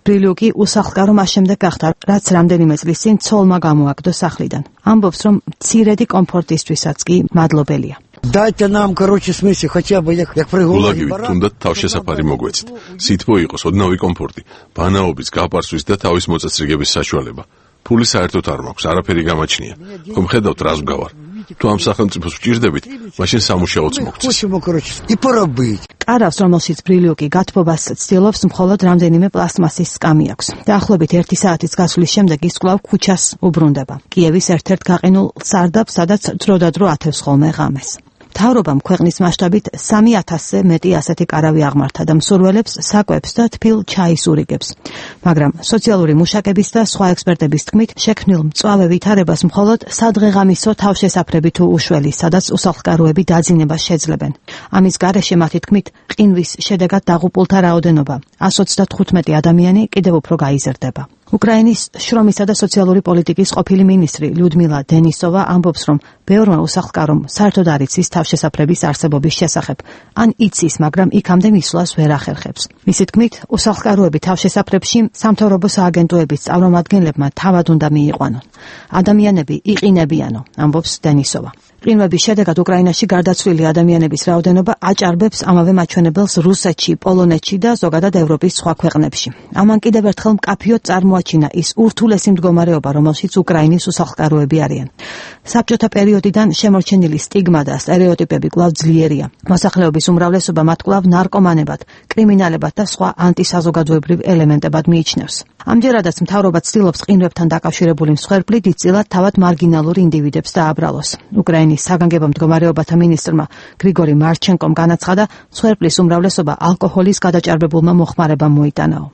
ბრილიუკი უსახლკარო მას შემდეგ გახდა, რაც რამდენიმე წლის წინ ცოლმა გამოაგდო სახლიდან. ამბობს, რომ მცირედი კომფორტისთვისაც კი მადლობელია. Дайте нам, короче, смысле, хотя бы як як пригодны. გულაგივით თუნდაც თავშესაფარი მოგვეცით. სითბო იყოს, ოდნავი კომფორტი, ბანაობის, გაპარსვის და თავის მოწესრიგების საშუალება. ფული საერთოდ არ მაქვს, არაფერი გამაჩნია. ხომ ხედავთ რას ვგავარ? თუ ამ სახელმწიფოს ვჭირდებით, მაშინ სამუშაოც მოგწეს. კარავს, რომელშიც ბრილიუკი გათბობას ცდილობს, მხოლოდ რამდენიმე პლასტმასის სკამი აქვს. დაახლოებით ერთი საათის გასვლის შემდეგ ის კვლავ ქუჩას უბრუნდება. კიევის ერთ-ერთ გაყინულ სარდაფს, სადაც დროდადრო ათევს ხოლმე ღამეს. მთავრობამ ქვეყნის მასშტაბით სამი ათასზე მეტი ასეთი კარავი აღმართა და მსურველებს საკვებს და თბილ ჩაის ურიგებს. მაგრამ სოციალური მუშაკების და სხვა ექსპერტების თქმით, შექმნილ მწვავე ვითარებას მხოლოდ სადღეღამისო თავშესაფრები თუ უშველი, სადაც უსახლკაროები დაძინებას შეძლებენ. ამის გარეშე მათი თქმით, ყინვის შედეგად დაღუპულთა რაოდენობა, ასოცდათხუთმეტი ადამიანი კიდევ უფრო გაიზრდება. უკრაინის შრომისა და სოციალური პოლიტიკის ყოფილი მინისტრი ლიუდმილა დენისოვა ამბობს, რომ ბევრმა უსახლკარომ საერთოდ არ იცის თავშესაფრების არსებობის შესახებ, ან იცის, მაგრამ იქამდე მისვლას ვერ ახერხებს. მისი თქმით, უსახლკაროები თავშესაფრებში სამთავრობო სააგენტოების წარმომადგენლებმა თავად უნდა მიიყვანონ. ადამიანები იყინებიანო, ამბობს დენისოვა. ყინვების შედეგად უკრაინაში გარდაცვლილი ადამიანების რაოდენობა აჭარბებს ამავე მაჩვენებელს რუსეთში, პოლონეთში და ზოგადად ევროპის სხვა ქვეყნებში. ამან კიდევ ერთხელ მკაფიოდ წარმოაჩინა ის ურთულესი მდგომარეობა, რომელშიც უკრაინის უსახლკაროები არიან. საბჭოთა პერიოდიდან შემორჩენილი სტიგმა და სტერეოტიპები კვლავ ძლიერია. მოსახლეობის უმრავლესობა მათ კვლავ ნარკომანებად, კრიმინალებად და სხვა ანტისაზოგადოებრივ ელემენტებად მიიჩნევს. ამჯერადაც მთავრობა ცდილობს ყინვებთან დაკავშირებული მსხვერპლი დიდწილად თავად მარგინალურ ინდივიდებს დააბრალოს. უკრაინის საგანგებო მდგომარეობათა მინისტრმა გრიგორი მარჩენკომ განაცხადა, მსხვერპლის უმრავლესობა ალკოჰოლის გადაჭარბებულმა მოხმარებამ მოიტანაო.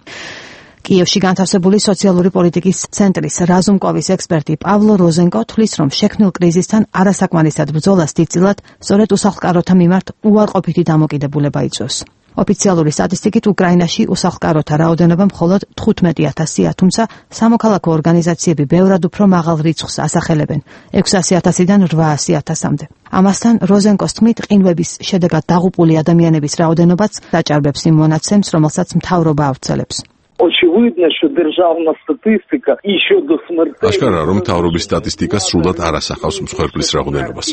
კიევში განთავსებული სოციალური პოლიტიკის ცენტრის რაზუმკოვის ექსპერტი პავლო როზენკო თვლის, რომ შექმნილ კრიზისთან არასაკმარისად ბრძოლას დიდწილად სწორედ უსახლკაროთა მიმართ უარყოფითი დამოკიდებულება იწვევს. ოფიციალური სტატისტიკით უკრაინაში უსახლკაროთა რაოდენობა მხოლოდ თხუთმეტი ათასია, თუმცა სამოქალაქო ორგანიზაციები ბევრად უფრო მაღალ რიცხვს ასახელებენ, ექვსასი ათასიდან რვაასი ათასამდე. ამასთან როზენკოს თქმით, ყინვების შედეგად დაღუპული ადამიანების რაოდენობაც დაჭარბებს იმ მონაცემს, რომელსაც მთავრობა ავრცელებს. Очевидно, что державна статистика и щодо смертей. Აშკარაა, რომ მთავრობის სტატისტიკა სრულად არ ასახავს მსხვერპლის რაოდენობას.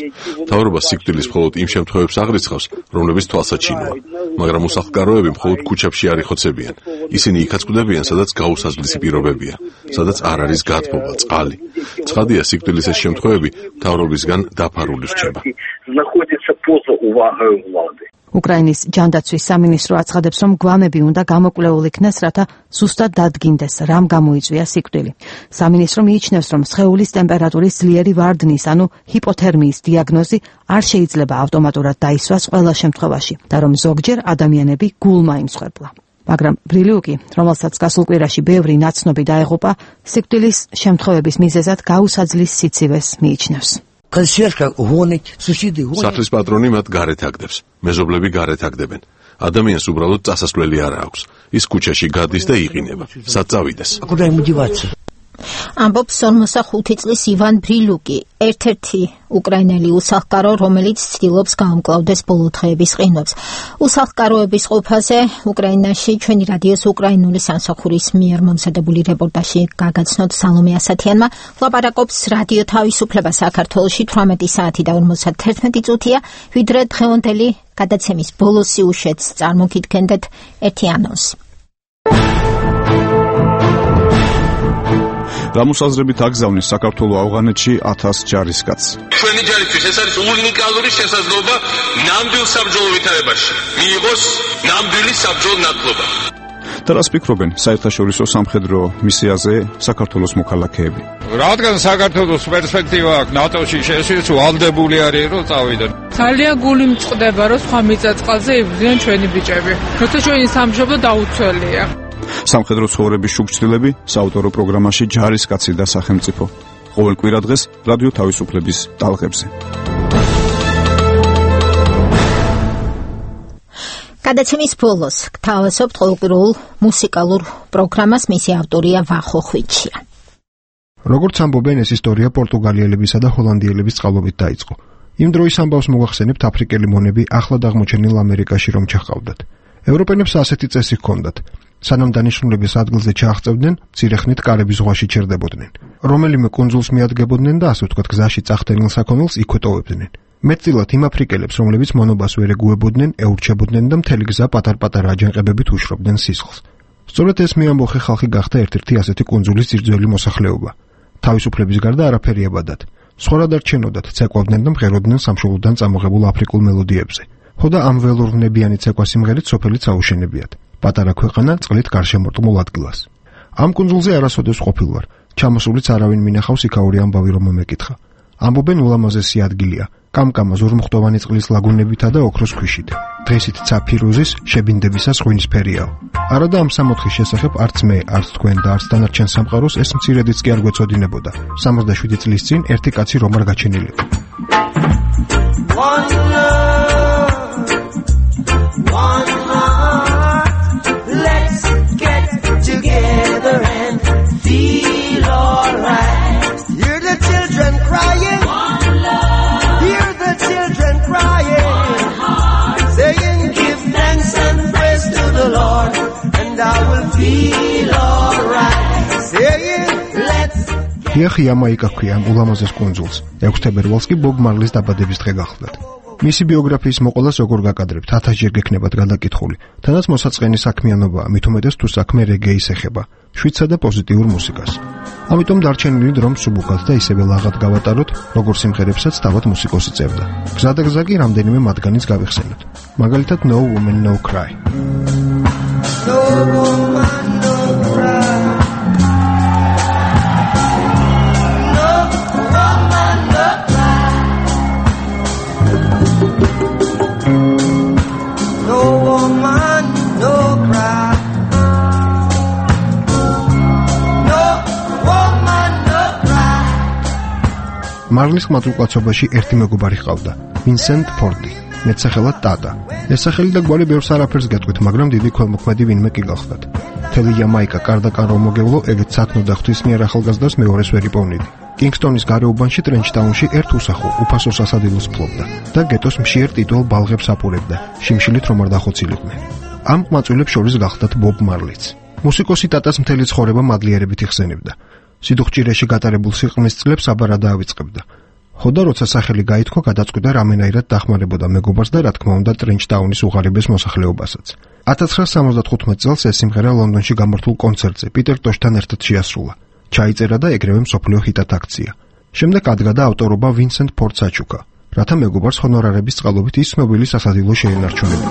მთავრობა სიკვდილის მხოლოდ იმ შემთხვევებს აღრიცხავს, რომლებიც თვალსაჩინოა, მაგრამ უსახლკაროები მხოლოდ ქუჩებში არ იხოცებიან. ისინი იქაც კვდებიან, სადაც გაუსაზღლისი პირობებია, სადაც არ არის გათბობა, წყალი. ცხადია, სიკვდილის ეს შემთხვევები მთავრობისგან დაფარული რჩება. Знаходится поза увагой влады. უკრაინის ჯანდაცვის სამინისტრო აცხადებს, რომ გვამები უნდა გამოკვლეულ იქნეს, რათა ზუსტად დადგინდეს, რამ გამოიწვია სიკვდილი. სამინისტრო მიიჩნევს, რომ სხეულის ტემპერატურის ძლიერი ვარდნის, ანუ ჰიპოთერმიის დიაგნოზი არ შეიძლება ავტომატურად დაისვას ყველა შემთხვევაში და რომ ზოგჯერ ადამიანები გულმა იმსხვერპლა. მაგრამ ბრილიუკი, რომელსაც გასულ კვირაში ბევრი ნაცნობი დაეღუპა, სიკვდილის შემთხვევების მიზეზად გაუსაძლის სიცივეს მიიჩნევს. სახლის პატრონი მათ გარეთ აგდებს, მეზობლები გარეთ აგდებენ. ადამიანს უბრალოდ წასასვლელი არ აქვს. ის ქუჩაში გადის და იყინება. სად წავიდეს? ამბობს ორმოცდახუთი წლის ივან ბრილუკი, ერთ-ერთი უკრაინელი უსახლკარო, რომელიც ცდილობს გაამკლავდეს ბოლო დღეების ყინვებს. უსახლკაროების ყოფაზე უკრაინაში ჩვენი რადიოს უკრაინული სამსახურის მიერ მომზადებული რეპორტაჟი გაგაცნოთ სალომე ასათიანმა. ლაპარაკობს რადიო თავისუფლება საქართველოში თვრამეტი საათი და ორმოცდათერთმეტი წუთია, ვიდრე დღევანდელი გადაცემის ბოლო სიუჟეტს წარმოგიდგენდეთ ერთი ანონსი. გამოსაზრებით აგზავნის საქართველოს ავღანეთში ათას ჯარისკაცს. ჩვენი ჯარისთვის ეს არის უნიკალური შესაძლებლობა ნამდვილ საბრძოლო ვითარებაში მიიღოს ნამდვილი საბრძოლო ნათლობა. და რას ფიქრობენ საერთაშორისო სამხედრო მისიაზე საქართველოს მოქალაქეები? რადგან საქართველოს პერსპექტივა აქვს ნატოში შესვლის ვალდებული არის რომ წავიდნენ. ძალიან გული მწყდება რომ სხვა მიწა-წყალზე იბრძვიან ჩვენი ბიჭები. როცა ჩვენი სამშობლო დაუცველია. სამხედრო ცხოვრების შუქჩილები საავტორო პროგრამაში ჯარისკაცი და სახელმწიფო. ყოველ კვირა დღეს რადიო თავისუფლების ტალღებზე. გადაცემის ბოლოს გთავაზობთ ყოველკვირეულ მუსიკალურ პროგრამას, მისი ავტორია ვახო ხვიჩია. როგორც ამბობენ, ეს ისტორია პორტუგალიელებისა და ჰოლანდიელების წყალობით დაიწყო. იმ დროის ამბავს მოგახსენებთ, აფრიკელი მონები ახლად აღმოჩენილ ამერიკაში რომ ჩაჰყავდათ. ევროპელებს ასეთი წესი ჰქონდათ. სანამ დანიშნულების ადგილზე ჩააღწევდნენ, მცირეხნით კარების ზღვაში ჩერდებოდნენ. რომელიმე კუნძულს მიადგებოდნენ და ასე ვთქვათ, გზაში წახდენილ საქონელს იქვე ტოვებდნენ. მეტწილად იმ აფრიკელებს, რომლებიც მონობას ვერ ეგუებოდნენ, ეურჩებოდნენ და მთელი გზა პატარ-პატარა აჯანყებებით უშრობდნენ სისხლს. სწორედ ეს მეამბოხე ხალხი გახდა ერთ-ერთი ასეთი კუნძულის ძირძველი მოსახლეობა. თავისუფლების გარდა არაფერი აბადად. სხვა რა დარჩენოდათ, ცეკვავდნენ და მღეროდნენ სამშობლოდან წამოღებულ აფრიკულ მელოდიებზე. ხოდა ამ ველურვნებიანი ცეკვა სიმღერით სოფელიც აუშენებიათ. პატარა ქვეყანა წყლით გარშემორტყმულ ადგილას. ამ კუნძულზე არასოდეს ყოფილ ვარ. ჩამოსულიც არავინ მინახავს იქაური ამბავი რომ მომეკითხა. ამბობენ ულამაზესი ადგილია. კამკამა ზურმუხტოვანი წყლის ლაგუნებითა და ოქროს ქვიშით. დღესით ცაფირუზის შებინდებისას ღვინისფერიაო. არა და ამ სამოთხის შესახებ არც მე, არც თქვენ და არც დანარჩენ სამყაროს ეს მცირედიც კი არ გვეწოდინებოდა. სამოცდაშვიდი წლის წინ ერთი კაცი რომ არ გაჩენილიყო. Together and feel იახი იამაიკა ქვია ამ ულამაზეს კუნძულს. ექვსი თებერვალს კი ბობ მარლის დაბადების დღე გახლდათ. მისი ბიოგრაფიის მოყოლას როგორ გაკადრებთ, ათასჯერ გექნებათ გადაკითხული. თანაც მოსაწყენი საქმიანობაა, მით უმეტეს თუ საქმე რეგეის ეხება, შვიდსა და პოზიტიურ მუსიკას. ამიტომ დარჩენილი დრო მსუბუქად და ისევე ლაღად გავატაროთ, როგორც სიმღერებსაც თავად მუსიკოსი წერდა. გზადაგზა კი რამდენიმე მათგანიც გავიხსენოთ. მაგალითად No Woman No Cry. No woman no cry. მარლის ხმაწულკაცობაში ერთი მეგობარი ჰყავდა, ვინსენტ ფორდი, მეტსახელად ტატა. ეს სახელი და გვარი ბევრს არაფერს გეტყვით, მაგრამ დიდი ქველმოქმედი ვინმე კი გახლდათ. მთელი იამაიკა კარდაკან რომ მოგევლო, ეგეც სათნო და ღვთისმიერ ახალგაზრდას მეორეს ვერ იპოვნიდი. კინგსტონის გარეუბანში ტრენჩტაუნში ერთ უსახო, უფასო სასადილოს ფლობდა და გეტოს მშიერ ტიტულ ბალღებს აპურებდა, შიმშილით რომ არ დახოცილიყვნენ. ამ ყმაწვილებს შორის გახლდათ ბობ მარლიც. მუსიკოსი ტატას მთელი ცხოვრება მადლიერებით იხსენებდა. სიდუხჭირეში გატარებულ სიყრმის წლებს აბარად დაავიწყებდა. ხოდა როცა სახელი გაითქვა, გადაწყვიტა რამენაირად დახმარებოდა მეგობარს და რა თქმა უნდა ტრენჩტაუნის უღარიბეს მოსახლეობასაც. ათას ცხრაასა სამოცდათხუთმეტ წელს ეს სიმღერა ლონდონში გამართულ კონცერტზე პიტერ ტოშთან ერთად შეასრულა. ჩაიწერა და ეგრევე მსოფლიო ჰიტად აქცია. შემდეგ ადგა ავტორობა ვინსენტ ფორდს აჩუქა, რათა მეგობარს ჰონორარების წყალობით ის ცნობილი სასადილო შეენარჩუნებინა.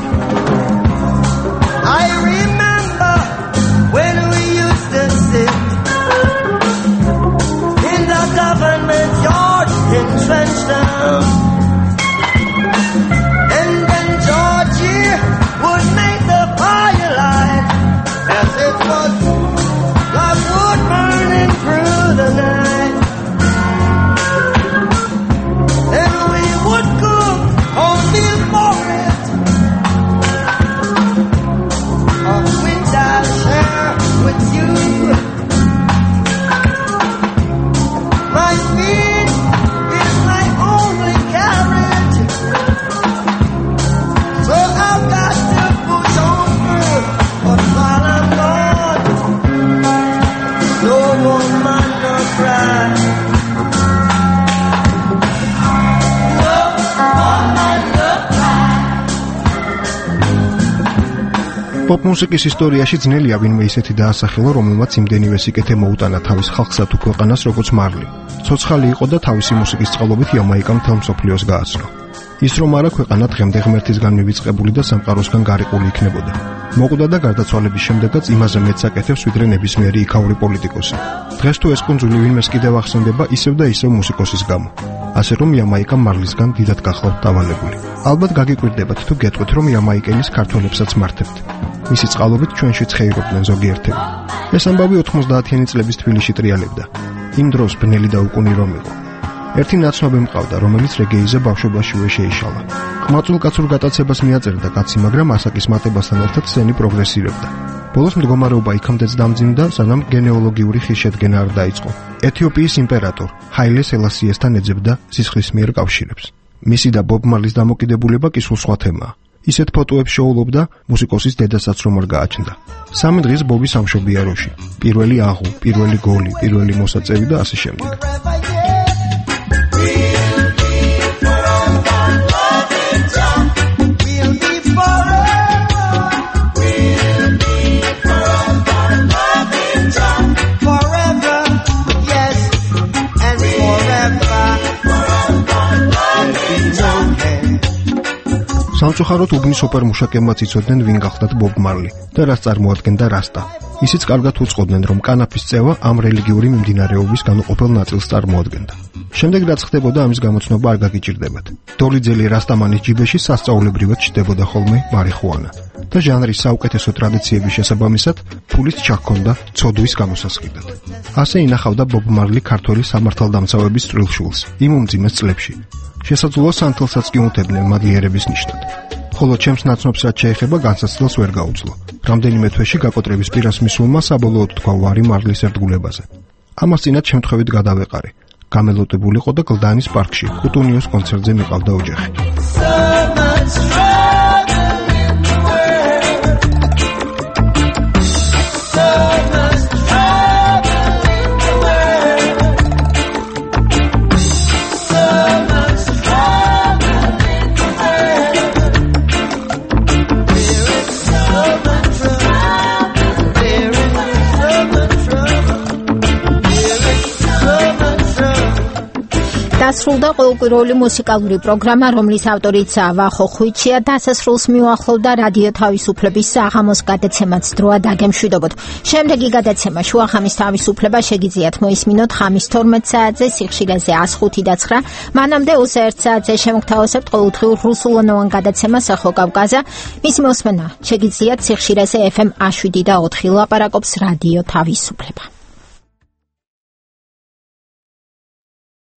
პოპ მუსიკის ისტორიაში ძნელია ვინმე ისეთი დაასახელო, რომელმაც იმდენივე სიკეთე მოუტანა თავის ხალხსა თუ ქვეყანას როგორც მარლი. ცოცხალი იყო და თავისი მუსიკის წყალობით იამაიკამ მთელ მსოფლიოს გააცნო. ის რომ არა ქვეყანა დღემდე ღმერთისგან მივიწყებული და სამყაროსგან გარიყული იქნებოდა. მოკვდა და გარდაცვალების შემდეგაც იმაზე მეც აკეთებს ვიდრე ნებისმიერი იქაური პოლიტიკოსი. დღეს თუ ეს კუნძული ვინმეს კიდევ ახსენდება ისევ და ისევ მუსიკოსის გამო. ასე რომ იამაიკა მარლისგან დიდად გახლავთ დავალებული. ალბათ გაგიკვირდებათ თუ გეტყვით რომ იამაიკელის ქართველებსაც მართებთ. მისი წყალობით ჩვენშიც ხეირობდნენ ზოგიერთები. ეს ამბავი ოთხმოცდაათიანი წლების თბილისში ტრიალებდა. იმ დროს ბნელი და უკუნი რომ იყო. ერთი ნაცნობი მყავდა, რომელიც რეგეიზე ბავშვობაშივე შეიშალა. ყმაწვილ-კაცურ გატაცებას მიაწერდა კაცი, მაგრამ ასაკის მატებასთან ერთად სცენი პროგრესირებდა. ბოლოს მდგომარეობა იქამდეც დამძიმდა, სანამ გენეოლოგიური ხის შედგენა არ დაიწყო. ეთიოპიის იმპერატორ ჰაილე სელასიესთან ეძებდა სისხლის მიერ კავშირებს. მისი და ბობ მარლის დამოკიდებულება კი სულ სხვა თემაა. ისეთ ფოტოებს შოულობდა მუსიკოსის დედასაც რომ არ გააჩნდა. სამი დღის ბობი სამშობია როში. პირველი აღუ, პირველი გოლი, პირველი მოსაწევი და ასე შემდეგ. სამწუხაროდ უბნის ოპერმუშაკებმაც იცოდნენ ვინ გახლდათ ბობ მარლი და რას წარმოადგენდა რასტა. ისიც კარგად უწყობდნენ რომ კანაფის წევა ამ რელიგიური მიმდინარეობის განუყოფელ ნაწილს წარმოადგენდა. შემდეგ რაც ხდებოდა ამის გამოცნობა არ გაგიჭირდებათ. დოლიძელი რასტამანის ჯიბეში სასწაულებრივად ჩდებოდა ხოლმე მარიხუანა და ჟანრის საუკეთესო ტრადიციების შესაბამისად ფულის ჩაქონდა ცოდვის გამოსასყიდად. ასე ინახავდა ბობ მარლი ქართველი სამართალდამცავების წვრილშულს იმ უმძიმეს წლებში. შესაძლოა სანთელსაც კი უთებდნენ მადლიერების ნიშნად. ხოლო ჩემს ნაცნობს რაც შეეხება განსაცდელს ვერ გაუძლო. რამდენიმე თვეში გაკოტრების პირას მისულმა საბოლოოდ თქვა ვარი მარლის ერთგულებაზე. ამას წინათ შემთხვევით გადავეყარე. გამელოტებულიყო და გლდანის პარკში კუტუნიოს კონცერტზე მიყავდა ოჯახი. დასრულდა ყოველკვირეული მუსიკალური პროგრამა, რომლის ავტორიც ვახო ხვიჩია. დასასრულს მიუახლოვდა რადიო თავისუფლების საღამოს გადაცემაც დროა დაგემშვიდობოთ. შემდეგი გადაცემა შუახამის თავისუფლება შეგიძლიათ მოისმინოთ ხამის თორმეტ საათზე სიხშირეზე one oh five და nine. მანამდე twenty-one საათზე შემოგთავაზებთ ყოველდღიურ რუსულენოვან გადაცემას ახო კავკაზა. მისი მოსმენა შეგიძლიათ სიხშირეზე F M one oh seven და four ლაპარაკობს რადიო თავისუფლება.